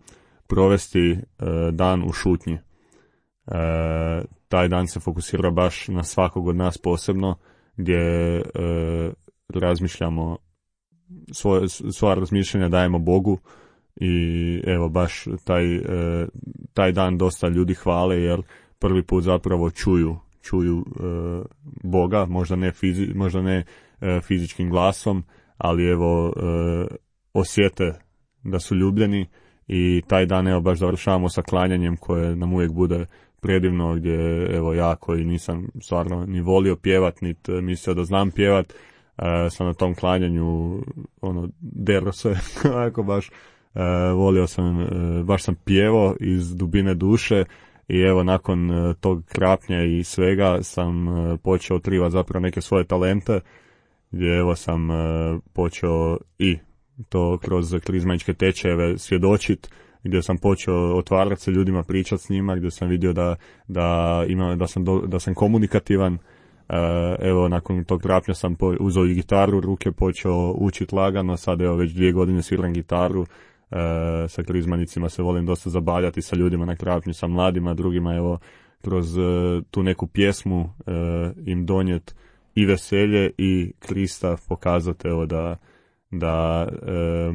provesti e, dan u šutnji. E, taj dan se fokusira baš na svakog od nas posebno, gdje e, razmišljamo, svoje, svoja razmišljanja dajemo Bogu i evo baš taj, e, taj dan dosta ljudi hvale jer prvi put zapravo čuju, čuju e, Boga, možda ne, fizi, možda ne e, fizičkim glasom, ali evo e, osjete da su ljubljeni i taj dan evo baš završavamo sa klanjanjem koje nam uvijek bude predivno, gdje evo ja koji nisam stvarno ni volio pjevat, niti mislio da znam pjevat, e, sam na tom klanjanju ono, dero se, ako baš e, volio sam, e, baš sam pjevao iz dubine duše i evo nakon e, tog krapnja i svega sam e, počeo otkrivati zapravo neke svoje talente, gdje evo sam e, počeo i to kroz krizmaičke tečajeve svjedočit, gdje sam počeo otvarati se ljudima, pričati s njima, gdje sam vidio da, da, ima, da, sam, do, da sam komunikativan. E, evo, nakon tog krapnja sam po, uzeo i gitaru u ruke, počeo učiti lagano, sad evo već dvije godine sviram gitaru, e, sa krizmanicima se volim dosta zabavljati sa ljudima na krapnju, sa mladima, drugima evo, kroz e, tu neku pjesmu e, im donijet i veselje i Krista, pokazati evo da, da e,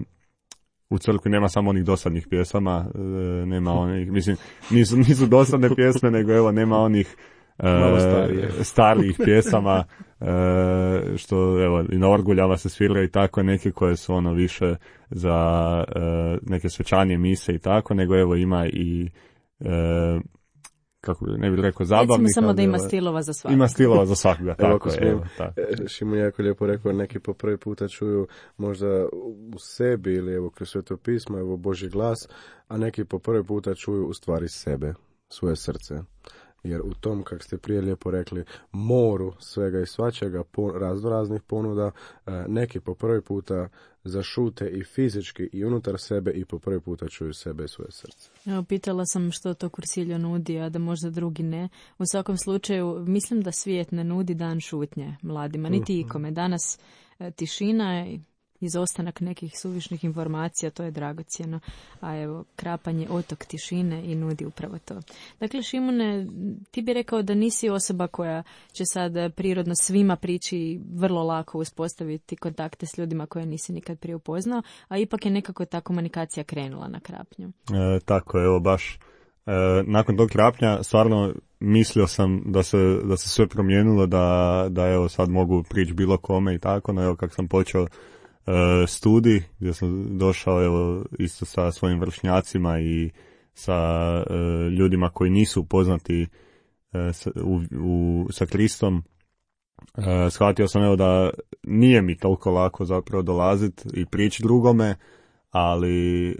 u crkvi nema samo onih dosadnih pjesama, e, nema onih, mislim, nisu, nisu dosadne pjesme, nego evo, nema onih e, starijih pjesama, e, što evo, i na orguljama se svira i tako, neke koje su ono više za e, neke svečanije mise i tako, nego evo ima i e, kako ne bih rekao zabavnika. Recimo samo da ima stilova za svakoga. Ima stilova za svakoga, tako je. Evo, tako. Šimun je jako lijepo rekao, neki po prvi puta čuju možda u sebi ili evo kroz Sveto pismo, evo Božji glas, a neki po prvi puta čuju u stvari sebe, svoje srce. Jer u tom, kako ste prije lijepo rekli, moru svega i svačega, razno raznih ponuda, neki po prvi puta zašute i fizički i unutar sebe i po prvi puta čuju sebe i svoje srce. Evo, pitala sam što to Kursiljo nudi, a da možda drugi ne. U svakom slučaju, mislim da svijet ne nudi dan šutnje mladima, niti ikome. Danas tišina i izostanak nekih suvišnih informacija, to je dragocjeno, a evo, krapanje otok tišine i nudi upravo to. Dakle, Šimune, ti bi rekao da nisi osoba koja će sad prirodno svima prići i vrlo lako uspostaviti kontakte s ljudima koje nisi nikad prije upoznao, a ipak je nekako ta komunikacija krenula na krapnju. E, tako je, evo baš. E, nakon tog krapnja stvarno mislio sam da se, da se sve promijenilo, da, da evo sad mogu prići bilo kome i tako, no evo kako sam počeo studij, gdje sam došao evo, isto sa svojim vršnjacima i sa e, ljudima koji nisu upoznati e, sa, u, u, sa Kristom, e, shvatio sam evo da nije mi toliko lako zapravo dolaziti i prići drugome, ali e,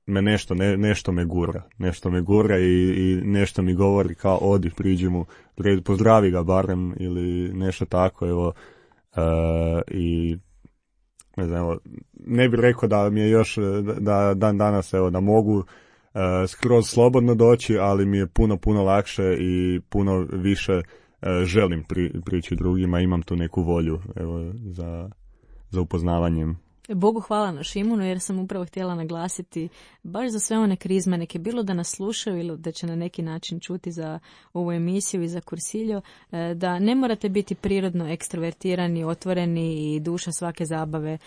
me nešto, ne, nešto me gura, nešto me gura i, i nešto mi govori kao odi, priđi mu, pozdravi ga barem ili nešto tako, evo, e, i ne znam, evo, ne bih rekao da mi je još da dan danas evo da mogu uh, skroz slobodno doći, ali mi je puno puno lakše i puno više uh, želim pri, prići drugima, imam tu neku volju evo za za upoznavanjem. Bogu hvala na Šimunu, jer sam upravo htjela naglasiti baš za sve one krizmanike, bilo da nas slušaju ili da će na neki način čuti za ovu emisiju i za Kursiljo, da ne morate biti prirodno ekstrovertirani, otvoreni i duša svake zabave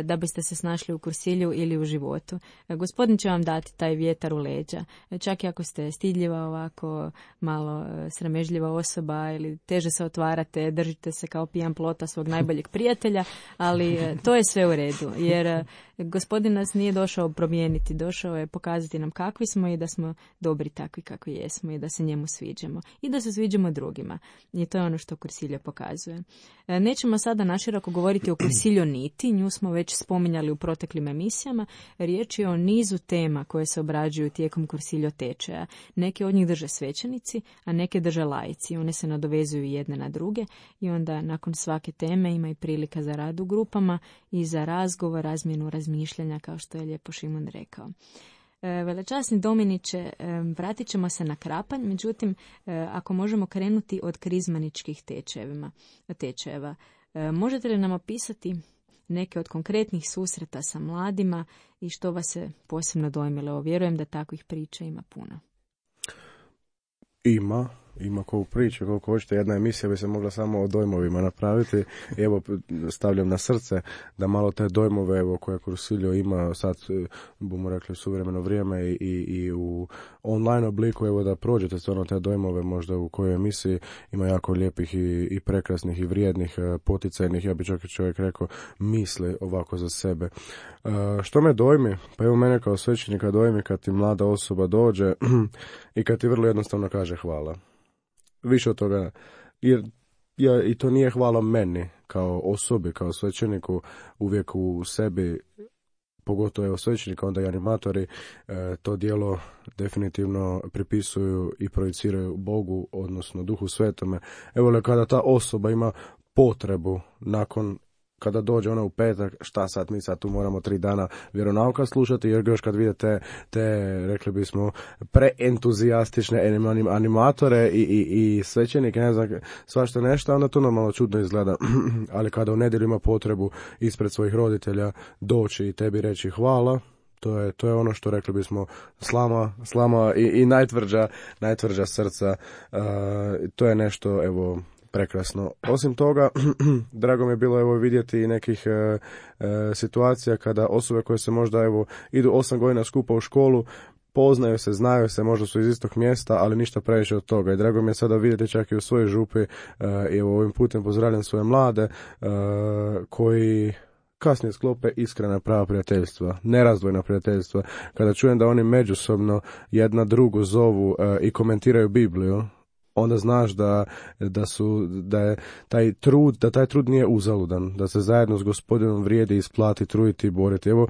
da biste se snašli u Kursilju ili u životu. Gospodin će vam dati taj vjetar u leđa. Čak i ako ste stidljiva, ovako malo sramežljiva osoba ili teže se otvarate, držite se kao pijan plota svog najboljeg prijatelja, ali to je sve u redu. nizu, jer Gospodin nas nije došao promijeniti, došao je pokazati nam kakvi smo i da smo dobri takvi kakvi jesmo i da se njemu sviđamo i da se sviđamo drugima. I to je ono što kursiljo pokazuje. Nećemo sada naširoko govoriti o kursiljo niti, nju smo već spominjali u proteklim emisijama. Riječ je o nizu tema koje se obrađuju tijekom kursiljo tečaja. Neke od njih drže svećenici, a neke drže laici. One se nadovezuju jedne na druge i onda nakon svake teme ima i prilika za rad u grupama i za razgovor, razmjenu razmišljanja, kao što je lijepo Šimon rekao. Velečasni Dominiče, vratit ćemo se na Krapanj, međutim, ako možemo krenuti od krizmaničkih tečajeva, tečajeva, možete li nam opisati neke od konkretnih susreta sa mladima i što vas je posebno dojmilo? Vjerujem da takvih priča ima puno. Ima. Ima koju priču, koliko hoćete, jedna emisija bi se mogla samo o dojmovima napraviti. Evo, stavljam na srce da malo te dojmove, evo, koje kursiljo ima sad, bomo rekli, suvremeno vrijeme i, i, i u online obliku, evo, da prođete stvarno te dojmove možda u kojoj emisiji ima jako lijepih i, i prekrasnih i vrijednih, poticajnih, ja bi čak i čovjek rekao, misli ovako za sebe. Uh, što me dojmi? Pa evo, mene kao svećenika dojmi kad ti mlada osoba dođe i kad ti vrlo jednostavno kaže hvala. Više od toga, jer ja, i to nije hvala meni kao osobi, kao svećeniku, uvijek u sebi, pogotovo evo svećenika, onda i animatori, e, to djelo definitivno pripisuju i projiciraju Bogu, odnosno Duhu Svetome. Evo, kada ta osoba ima potrebu nakon kada dođe ona u petak, šta sad, mi sad tu moramo tri dana vjeronauka slušati, jer još kad vidite te, rekli bismo, preentuzijastične animatore i, i, i svećenike, ne znam, svašta nešto, onda to normalno čudno izgleda. Ali kada u nedjelju ima potrebu ispred svojih roditelja doći i tebi reći hvala, to je, to je ono što rekli bismo slama, slama i, i najtvrđa, najtvrđa srca. Uh, to je nešto, evo, prekrasno. Osim toga, drago mi je bilo evo vidjeti i nekih e, e, situacija kada osobe koje se možda evo idu osam godina skupa u školu, poznaju se, znaju se, možda su iz istog mjesta, ali ništa previše od toga. I drago mi je sada vidjeti čak i u svojoj župi, e, evo ovim putem pozdravljam svoje mlade e, koji kasnije sklope iskrena prava prijateljstva, nerazdvojna prijateljstva. Kada čujem da oni međusobno jedna drugu zovu e, i komentiraju Bibliju, onda znaš da, da su, da je taj trud, da taj trud nije uzaludan, da se zajedno s Gospodinom vrijedi isplati, truditi i boriti. Evo,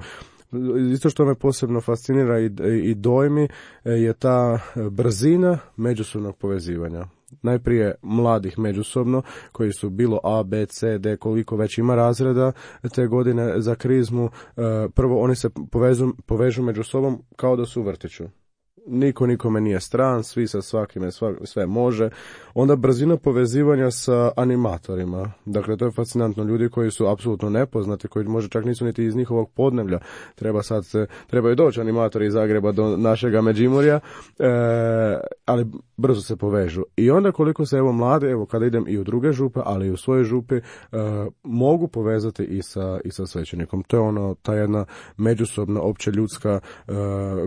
isto što me posebno fascinira i, i dojmi je ta brzina međusobnog povezivanja. Najprije mladih međusobno, koji su bilo A, B, C, D, koliko već ima razreda te godine za krizmu. Prvo oni se povežu, povežu među sobom kao da su u vrtiću. Niko nikome nije stran, svi sa svakime svak, sve može. Onda brzina povezivanja sa animatorima. Dakle, to je fascinantno. Ljudi koji su apsolutno nepoznati, koji možda čak nisu niti iz njihovog podneblja. Treba sad se, trebaju doći animatori iz Zagreba do našega Međimurja, e, ali brzo se povežu. I onda koliko se evo mlade, evo kada idem i u druge župe, ali i u svoje župi, e, mogu povezati i sa, i sa svećenikom. To je ono, ta jedna međusobna, opće ljudska e,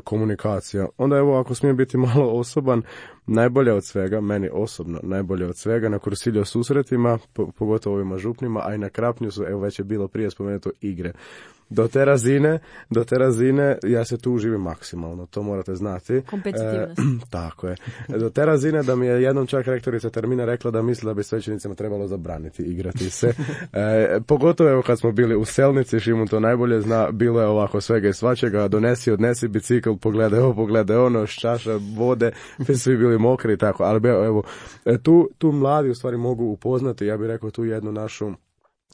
komunikacija. Onda evo, ako smijem biti malo osoban, najbolje od svega, meni osobno najbolje od svega na kursiljo susretima, po, pogotovo ovima župnima, a i na Krapnju su, evo već je bilo prije spomenuto, igre. Do te razine, do te razine ja se tu uživim maksimalno, to morate znati. Kompetitivnost. E, tako je. Do te razine da mi je jednom čak rektorica termina rekla da misli da bi svećenicima trebalo zabraniti igrati se. E, pogotovo evo kad smo bili u Selnici, Šimun to najbolje zna, bilo je ovako svega i svačega, donesi, odnesi bicikl, pogledaj ovo, pogledaj ono, čaša vode, svi bili mokri i tako, ali evo, tu, tu mladi u stvari mogu upoznati, ja bih rekao, tu jednu našu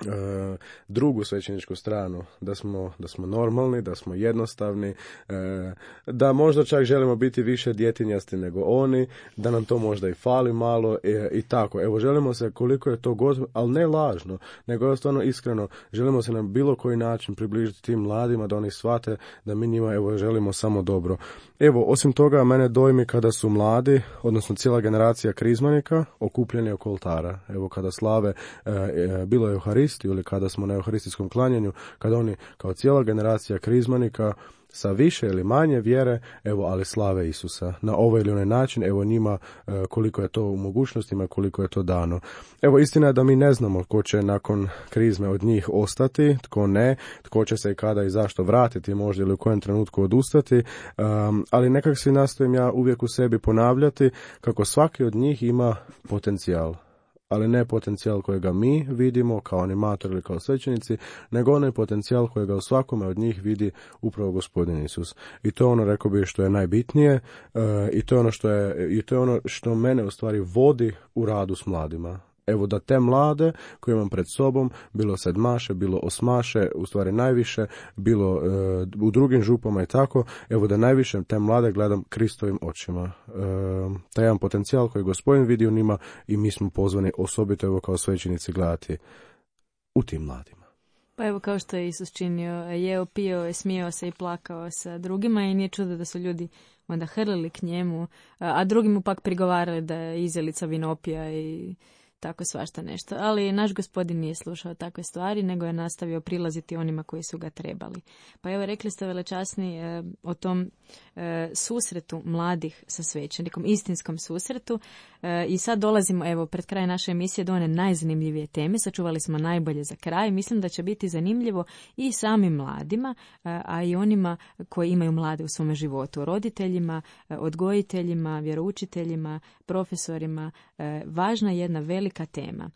E, drugu svećeničku stranu, da smo, da smo normalni, da smo jednostavni, e, da možda čak želimo biti više djetinjasti nego oni, da nam to možda i fali malo e, i tako. Evo, želimo se koliko je to god, ali ne lažno, nego je stvarno iskreno, želimo se na bilo koji način približiti tim mladima, da oni shvate da mi njima evo želimo samo dobro. Evo, osim toga, mene dojmi kada su mladi, odnosno cijela generacija krizmanika, okupljeni oko oltara. Evo, kada slave, e, e, bilo je Euharistiju ili kada smo na euharistijskom klanjanju, kada oni kao cijela generacija krizmanika sa više ili manje vjere, evo, ali slave Isusa. Na ovaj ili onaj način, evo njima e, koliko je to u mogućnostima, koliko je to dano. Evo, istina je da mi ne znamo tko će nakon krizme od njih ostati, tko ne, tko će se i kada i zašto vratiti, možda ili u kojem trenutku odustati, um, ali nekak si nastojim ja uvijek u sebi ponavljati kako svaki od njih ima potencijal. Ali ne potencijal kojega mi vidimo kao animator ili kao svećenici, nego onaj potencijal kojega u svakome od njih vidi upravo Gospodin Isus. I to je ono, rekao bih, što je najbitnije uh, i to je ono što je, i to je ono što mene u stvari vodi u radu s mladima. Evo, da te mlade koje imam pred sobom, bilo sedmaše, bilo osmaše, u stvari najviše, bilo e, u drugim župama i tako, evo da najviše te mlade gledam Kristovim očima. E, taj jedan potencijal koji Gospodin vidi u njima i mi smo pozvani osobito evo kao svećenici gledati u tim mladima. Pa evo, kao što je Isus činio, jeo, pio, smijao se i plakao sa drugima i nije čudo da su ljudi onda hrlili k njemu, a drugi mu pak prigovarali da je izjelica vinopija i tako svašta nešto. Ali naš Gospodin nije slušao takve stvari, nego je nastavio prilaziti onima koji su ga trebali. Pa evo, rekli ste, velečasni, e, o tom e, susretu mladih sa svećenikom, istinskom susretu. E, I sad dolazimo, evo, pred kraj naše emisije do one najzanimljivije teme. Sačuvali smo najbolje za kraj. Mislim da će biti zanimljivo i samim mladima, e, a i onima koji imaju mlade u svome životu. Roditeljima, e, odgojiteljima, vjeroučiteljima, profesorima. E, važna je jedna velika tema.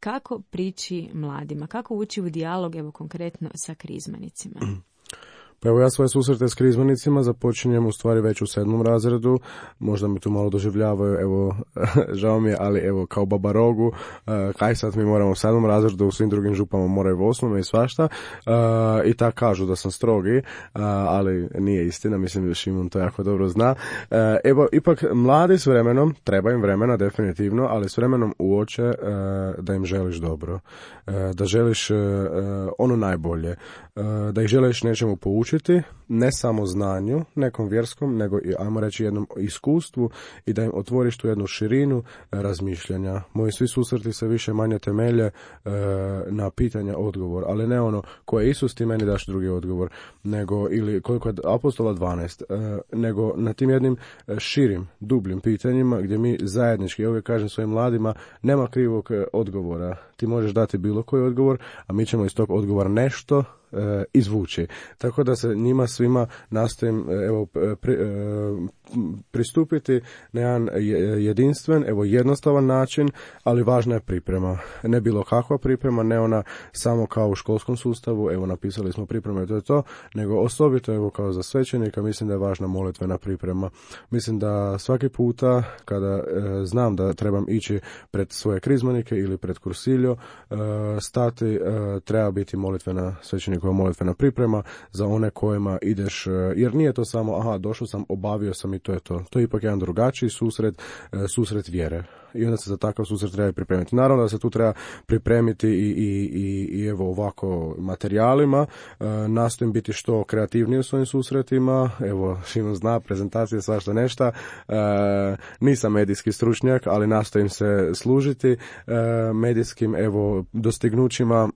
Kako prići mladima? Kako ući u dijalog, evo konkretno, sa krizmanicima? Pa evo, ja svoje susrete s krizmanicima započinjem u stvari već u sedmom razredu, možda mi tu malo doživljavaju, evo, žao mi je, ali evo, kao baba rogu, uh, kaj sad mi moramo u sedmom razredu, u svim drugim župama moraju u osmome i svašta, uh, i tak kažu da sam strogi, uh, ali nije istina, mislim da Šimon to jako dobro zna. Uh, evo, ipak mladi s vremenom, treba im vremena definitivno, ali s vremenom uoče uh, da im želiš dobro, uh, da želiš uh, ono najbolje, uh, da ih želiš nečemu poučiti, ne samo znanju, nekom vjerskom, nego i, ajmo reći, jednom iskustvu i da im otvoriš tu jednu širinu razmišljanja. Moji svi susreti se više manje temelje e, na pitanja odgovor, ali ne ono ko je Isus, ti meni daš drugi odgovor, nego, ili koliko je apostola dvanaest, e, nego na tim jednim širim, dubljim pitanjima gdje mi zajednički, ja uvijek kažem svojim mladima, nema krivog odgovora. Ti možeš dati bilo koji odgovor, a mi ćemo iz tog odgovora nešto E, izvući. Tako da se njima svima nastojim evo, pri, e, pristupiti na jedan jedinstven, evo jednostavan način, ali važna je priprema. Ne bilo kakva priprema, ne ona samo kao u školskom sustavu, evo napisali smo pripreme, to je to, nego osobito evo kao za svećenika mislim da je važna molitvena priprema. Mislim da svaki puta kada e, znam da trebam ići pred svoje krizmanike ili pred kursiljo, e, stati, e, treba biti molitvena svećenika molitvena priprema za one kojima ideš, jer nije to samo aha, došao sam, obavio sam i to je to. To je ipak jedan drugačiji susret, susret vjere. I onda se za takav susret treba pripremiti. Naravno da se tu treba pripremiti i, i, i, i evo ovako materijalima. E, nastojim biti što kreativniji u svojim susretima. Evo, Šimon zna, prezentacije, svašta nešta. E, nisam medijski stručnjak, ali nastojim se služiti e, medijskim evo dostignućima.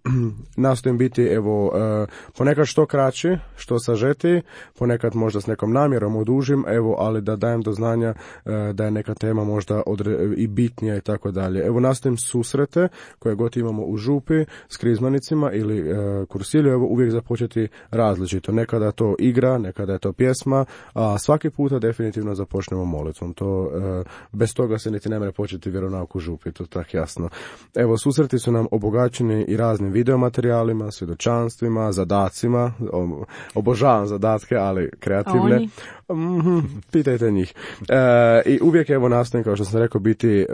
Nastojim biti evo e, ponekad što kraći, što sažeti, ponekad možda s nekom namjerom odužim, evo, ali da dajem do znanja e, da je neka tema možda odre, i bitnija i tako dalje. Evo, nastojim susrete koje god imamo u župi s krizmanicima ili e, kursilju, evo uvijek započeti različito. Nekada je to igra, nekada je to pjesma, a svaki puta definitivno započnemo molitvom. To, e, bez toga se niti ne može početi vjeronauk u župi, to je tako jasno. Evo, susreti su nam obogaćeni i raznim videomaterijalima, svjedočanstvima, zadacima, o, obožavam zadatke, ali kreativne. Mm-hmm, pitajte njih. E, I uvijek evo nastojim, kao što sam rekao, biti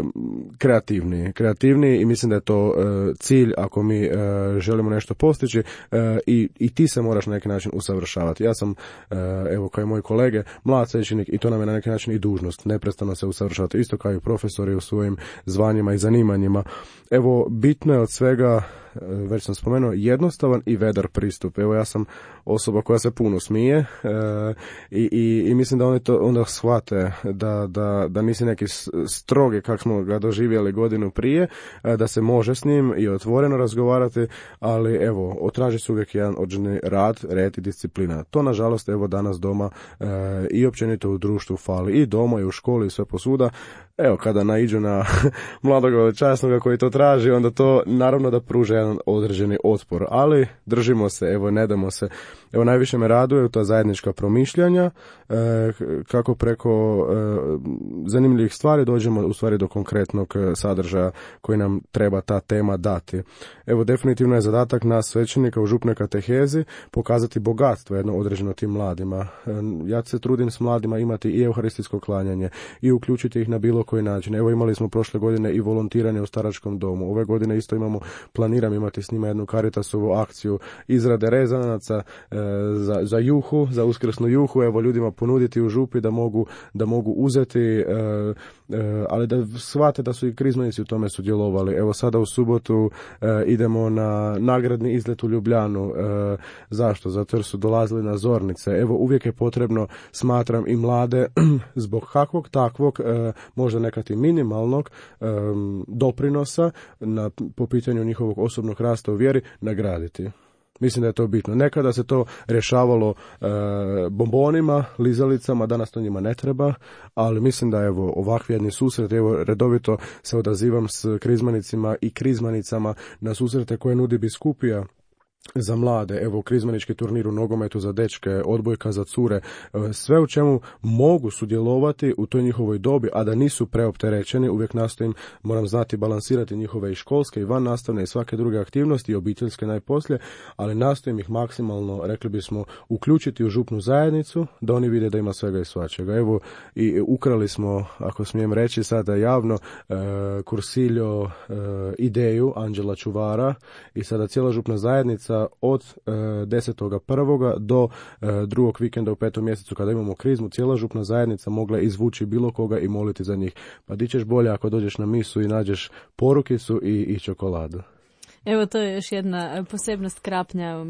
kreativniji. Kreativniji i mislim da je to e, cilj ako mi e, želimo nešto postići e, i, i ti se moraš na neki način usavršavati. Ja sam, e, evo kao i moji kolege, mlad svećenik i to nam je na neki način i dužnost. Neprestano se usavršavati. Isto kao i profesori u svojim zvanjima i zanimanjima. Evo, bitno je od svega već sam spomenuo, jednostavan i vedar pristup. Evo ja sam osoba koja se puno smije i, i, i mislim da oni to onda shvate da, da, da nisi neki strogi kak smo ga doživjeli godinu prije, da se može s njim i otvoreno razgovarati, ali evo, otraži se uvijek jedan određeni rad, red i disciplina. To nažalost evo danas doma i općenito u društvu fali i doma i u školi i sve posuda. Evo, kada naiđu na mladog časnoga koji to traži, onda to naravno da pruža jedan određeni otpor, ali držimo se, evo, ne damo se. Evo, najviše me raduje ta zajednička promišljanja, e, kako preko e, zanimljivih stvari dođemo u stvari do konkretnog sadržaja koji nam treba ta tema dati. Evo, definitivno je zadatak nas svećenika u župnoj katehezi pokazati bogatstvo jedno određeno tim mladima. E, ja se trudim s mladima imati i euharistijsko klanjanje i uključiti ih na bilo koji način. Evo, imali smo prošle godine i volontiranje u staračkom domu. Ove godine isto imamo, planiram imati s njima jednu Caritasovu akciju izrade rezanaca e, za, za juhu, za uskrsnu juhu. Evo, ljudima ponuditi u župi da mogu, da mogu uzeti, e, e, ali da shvate da su i krizmanici u tome sudjelovali. Evo, sada u subotu e, idemo na nagradni izlet u Ljubljanu. E, zašto? Zato jer su dolazili na zornice. Evo, uvijek je potrebno, smatram, i mlade zbog kakvog takvog, e, možda nekad i minimalnog e, doprinosa na, po pitanju njihovog osobnog rasta u vjeri nagraditi. Mislim da je to bitno. Nekada se to rješavalo e, bombonima, lizalicama, danas to njima ne treba, ali mislim da evo ovakvi jedni susret, evo redovito se odazivam s krizmanicima i krizmanicama na susrete koje nudi biskupija za mlade, evo krizmanički turnir u nogometu za dečke, odbojka za cure, sve u čemu mogu sudjelovati u toj njihovoj dobi, a da nisu preopterećeni. Uvijek nastojim, moram znati balansirati njihove i školske i van nastavne i svake druge aktivnosti i obiteljske najposlije, ali nastojim ih maksimalno, rekli bismo, uključiti u župnu zajednicu, da oni vide da ima svega i svačega. Evo, i ukrali smo, ako smijem reći sada javno, e, Kursiljo e, ideju Anđela Čuvara i sada cijela župna zajednica od e, desetog prvog do e, drugog vikenda u petom mjesecu kada imamo krizmu, cijela župna zajednica mogla izvući bilo koga i moliti za njih. Pa di ćeš bolje ako dođeš na misu i nađeš porukicu i, i čokoladu. Evo, to je još jedna posebnost Krapnja.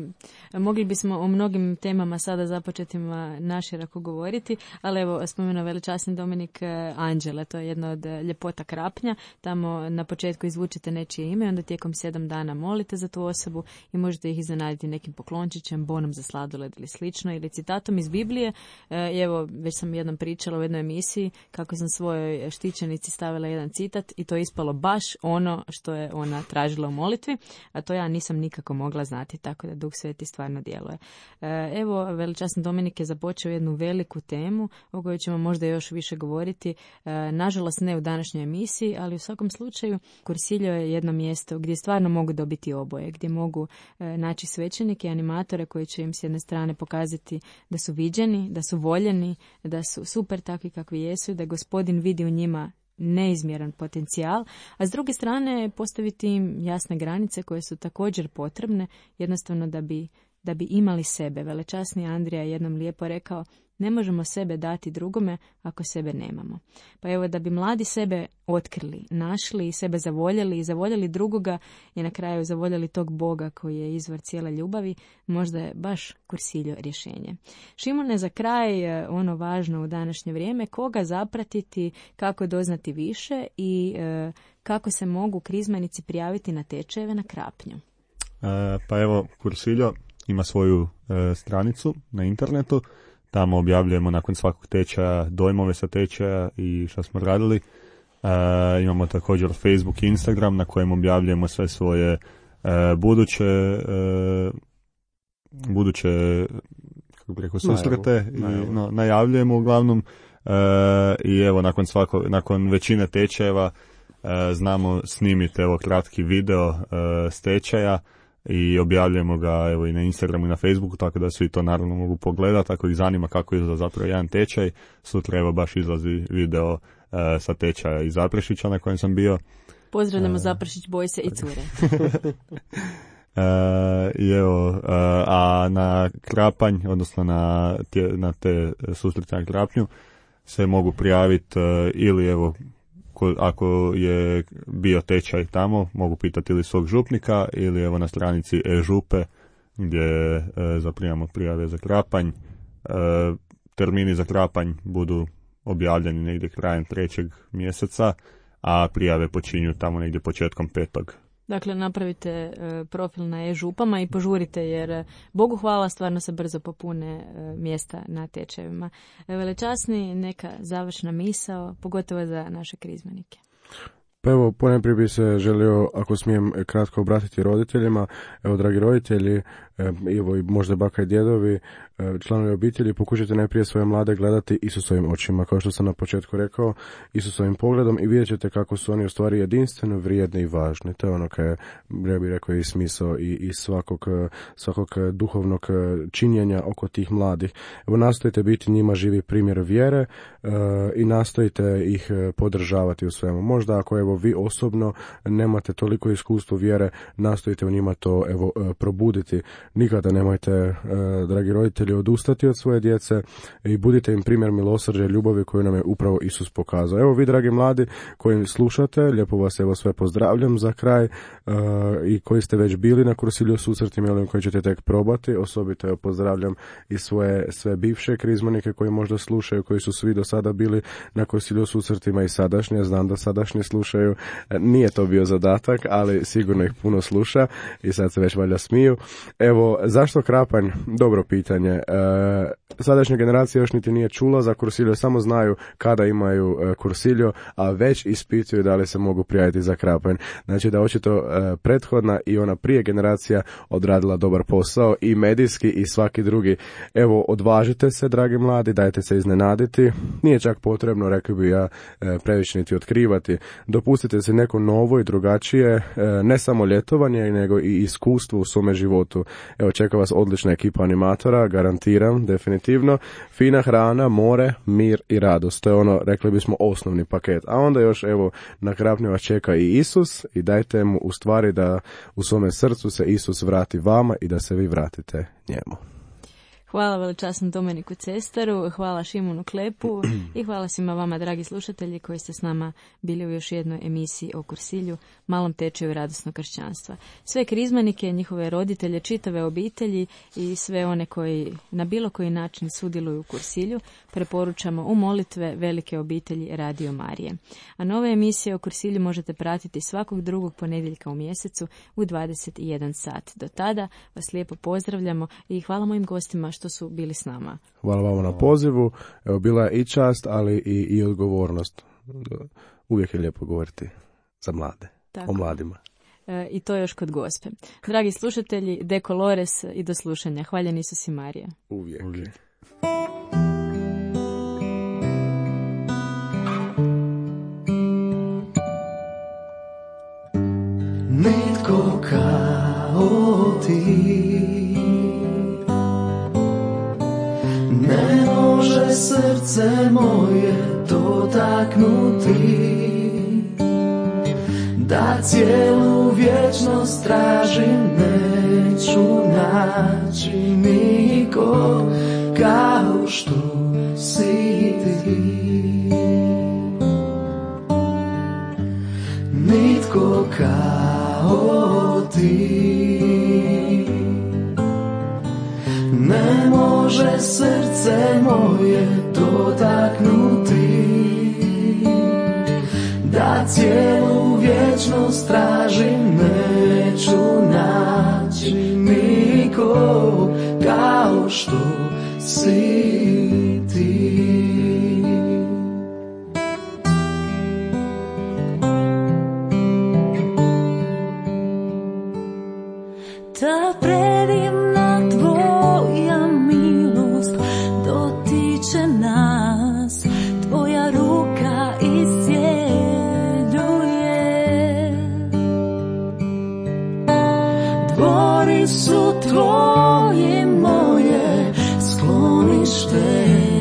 Mogli bismo o mnogim temama sada započetima naširoko govoriti, ali evo, spomenuo veličasni Dominik Anđele, to je jedna od ljepota Krapnja. Tamo na početku izvučete nečije ime, onda tijekom sedam dana molite za tu osobu i možete ih iznenaditi nekim poklončićem, bonom za sladoled ili slično, ili citatom iz Biblije. I evo, već sam jednom pričala u jednoj emisiji kako sam svojoj štićenici stavila jedan citat i to je ispalo baš ono što je ona tražila u molitvi. A to ja nisam nikako mogla znati, tako da Duh Sveti stvarno djeluje. Evo, veličasni Dominik je započeo jednu veliku temu o kojoj ćemo možda još više govoriti. Nažalost ne u današnjoj emisiji, ali u svakom slučaju Kursiljo je jedno mjesto gdje stvarno mogu dobiti oboje, gdje mogu naći svećenike i animatore koji će im s jedne strane pokazati da su viđeni, da su voljeni, da su super takvi kakvi jesu, da Gospodin vidi u njima neizmjeran potencijal, a s druge strane postaviti im jasne granice koje su također potrebne, jednostavno da bi, da bi imali sebe. Velečasni Andrija je jednom lijepo rekao, ne možemo sebe dati drugome ako sebe nemamo. Pa evo, da bi mladi sebe otkrili, našli i sebe zavoljeli i zavoljeli drugoga i na kraju zavoljeli tog Boga koji je izvor cijele ljubavi, možda je baš Kursiljo rješenje. Šimune, za kraj ono važno u današnje vrijeme, koga zapratiti, kako doznati više i e, kako se mogu krizmanici prijaviti na tečajeve na Krapnju. E, pa evo, Kursiljo ima svoju e, stranicu na internetu. Tamo objavljujemo nakon svakog tečaja dojmove sa tečaja i što smo radili. E, imamo također Facebook i Instagram na kojem objavljujemo sve svoje e, buduće e, buduće kako bi rekao, susrete. Najavu. I, no, najavljujemo uglavnom e, i evo nakon, svako, nakon većine tečajeva e, znamo snimiti evo kratki video e, s tečaja i objavljujemo ga evo i na Instagramu i na Facebooku, tako da svi to naravno mogu pogledati. Ako ih zanima kako izgleda zapravo jedan tečaj, sutra evo baš izlazi video e, sa tečaja iz Zaprešića na kojem sam bio. Pozdravljamo e... Zaprešić, boj se i cure. e, I evo, e, a na Krapanj, odnosno na, tje, na te susrete na Krapnju se mogu prijaviti e, ili evo ako, ako je bio tečaj tamo, mogu pitati ili svog župnika ili evo na stranici e-župe gdje e, zaprimamo prijave za Krapanj. E, termini za Krapanj budu objavljeni negdje krajem trećeg mjeseca, a prijave počinju tamo negdje početkom petog. Dakle, napravite e, profil na e-župama i požurite jer, e, Bogu hvala, stvarno se brzo popune e, mjesta na tečajevima. E, velečasni, neka završna misao, pogotovo za naše krizmanike. Pa evo, ponajprije bi se želio, ako smijem kratko obratiti roditeljima. Evo, dragi roditelji, evo i možda baka i djedovi, članovi obitelji, pokušajte najprije svoje mlade gledati Isusovim očima, kao što sam na početku rekao, Isusovim pogledom, i vidjet ćete kako su oni u stvari jedinstveno vrijedni i važni. To je ono kaj, ja bih rekao, i smisao i, i svakog, svakog duhovnog činjenja oko tih mladih. Evo, nastojite biti njima živi primjer vjere uh, i nastojite ih podržavati u svemu. Možda ako evo vi osobno nemate toliko iskustvo vjere, nastojite u njima to evo probuditi. Nikada nemojte, uh, dragi roditelji, odustati od svoje djece i budite im primjer milosrđa i ljubavi koju nam je upravo Isus pokazao. Evo vi, dragi mladi koji slušate, lijepo vas evo sve pozdravljam za kraj, uh, i koji ste već bili na kursilju susretima ili koji ćete tek probati. Osobito evo pozdravljam i svoje sve bivše krizmanike koji možda slušaju, koji su svi do sada bili na kursilju susretima i sadašnje. Znam da sadašnji slušaju. Nije to bio zadatak, ali sigurno ih puno sluša i sad se već valjda smiju. Evo, zašto Krapanj? Dobro pitanje. E, sadašnja generacija još niti nije čula za kursilju, samo znaju kada imaju e, kursilju, a već ispituju da li se mogu prijaviti za Krapanj. Znači da očito e, prethodna i ona prije generacija odradila dobar posao i medijski i svaki drugi. Evo, odvažite se, dragi mladi, dajte se iznenaditi. Nije čak potrebno, rekao bi ja, e, previše niti otkrivati. Dopustite se neko novo i drugačije, e, ne samo ljetovanje, nego i iskustvo u svome životu. Evo, čeka vas odlična ekipa animatora, garantiram, definitivno. Fina hrana, more, mir i radost. To je ono, rekli bismo, osnovni paket. A onda još, evo, na Krapnju vas čeka i Isus i dajte mu u stvari da u svome srcu se Isus vrati vama i da se vi vratite njemu. Hvala velečasnom Domeniku Cestaru, hvala Šimunu Klepu i hvala svima vama, dragi slušatelji, koji ste s nama bili u još jednoj emisiji o kursilju, malom tečaju radosnog kršćanstva. Sve krizmanike, njihove roditelje, čitave obitelji i sve one koji na bilo koji način sudjeluju u kursilju preporučamo u molitve velike obitelji Radio Marije. A nove emisije o kursilju možete pratiti svakog drugog ponedjeljka u mjesecu u dvadeset i jedan sat. Do tada vas lijepo pozdravljamo i hvala mojim gostima što su bili s nama. Hvala vam na pozivu. Evo, bila je i čast, ali i, i odgovornost. Uvijek je lijepo govoriti za mlade, tako, o mladima. E, I to još kod Gospe. Dragi slušatelji, De Colores i do slušanja. Hvaljen Isus i Marija. Uvijek. Uvijek. Nitko kao ti ne može srce moje dotaknuti, da cijelu vječnost tražim, neću naći niko kao što si ti. Nitko kao ti ne može srce moje dotaknuti, da cijelu vječnost tražim, neću naći niko kao što si ti. Ta predivna tvoja milost dotiče nas, tvoja ruka iscijeljuje. Dvori su tvoje moje sklonište.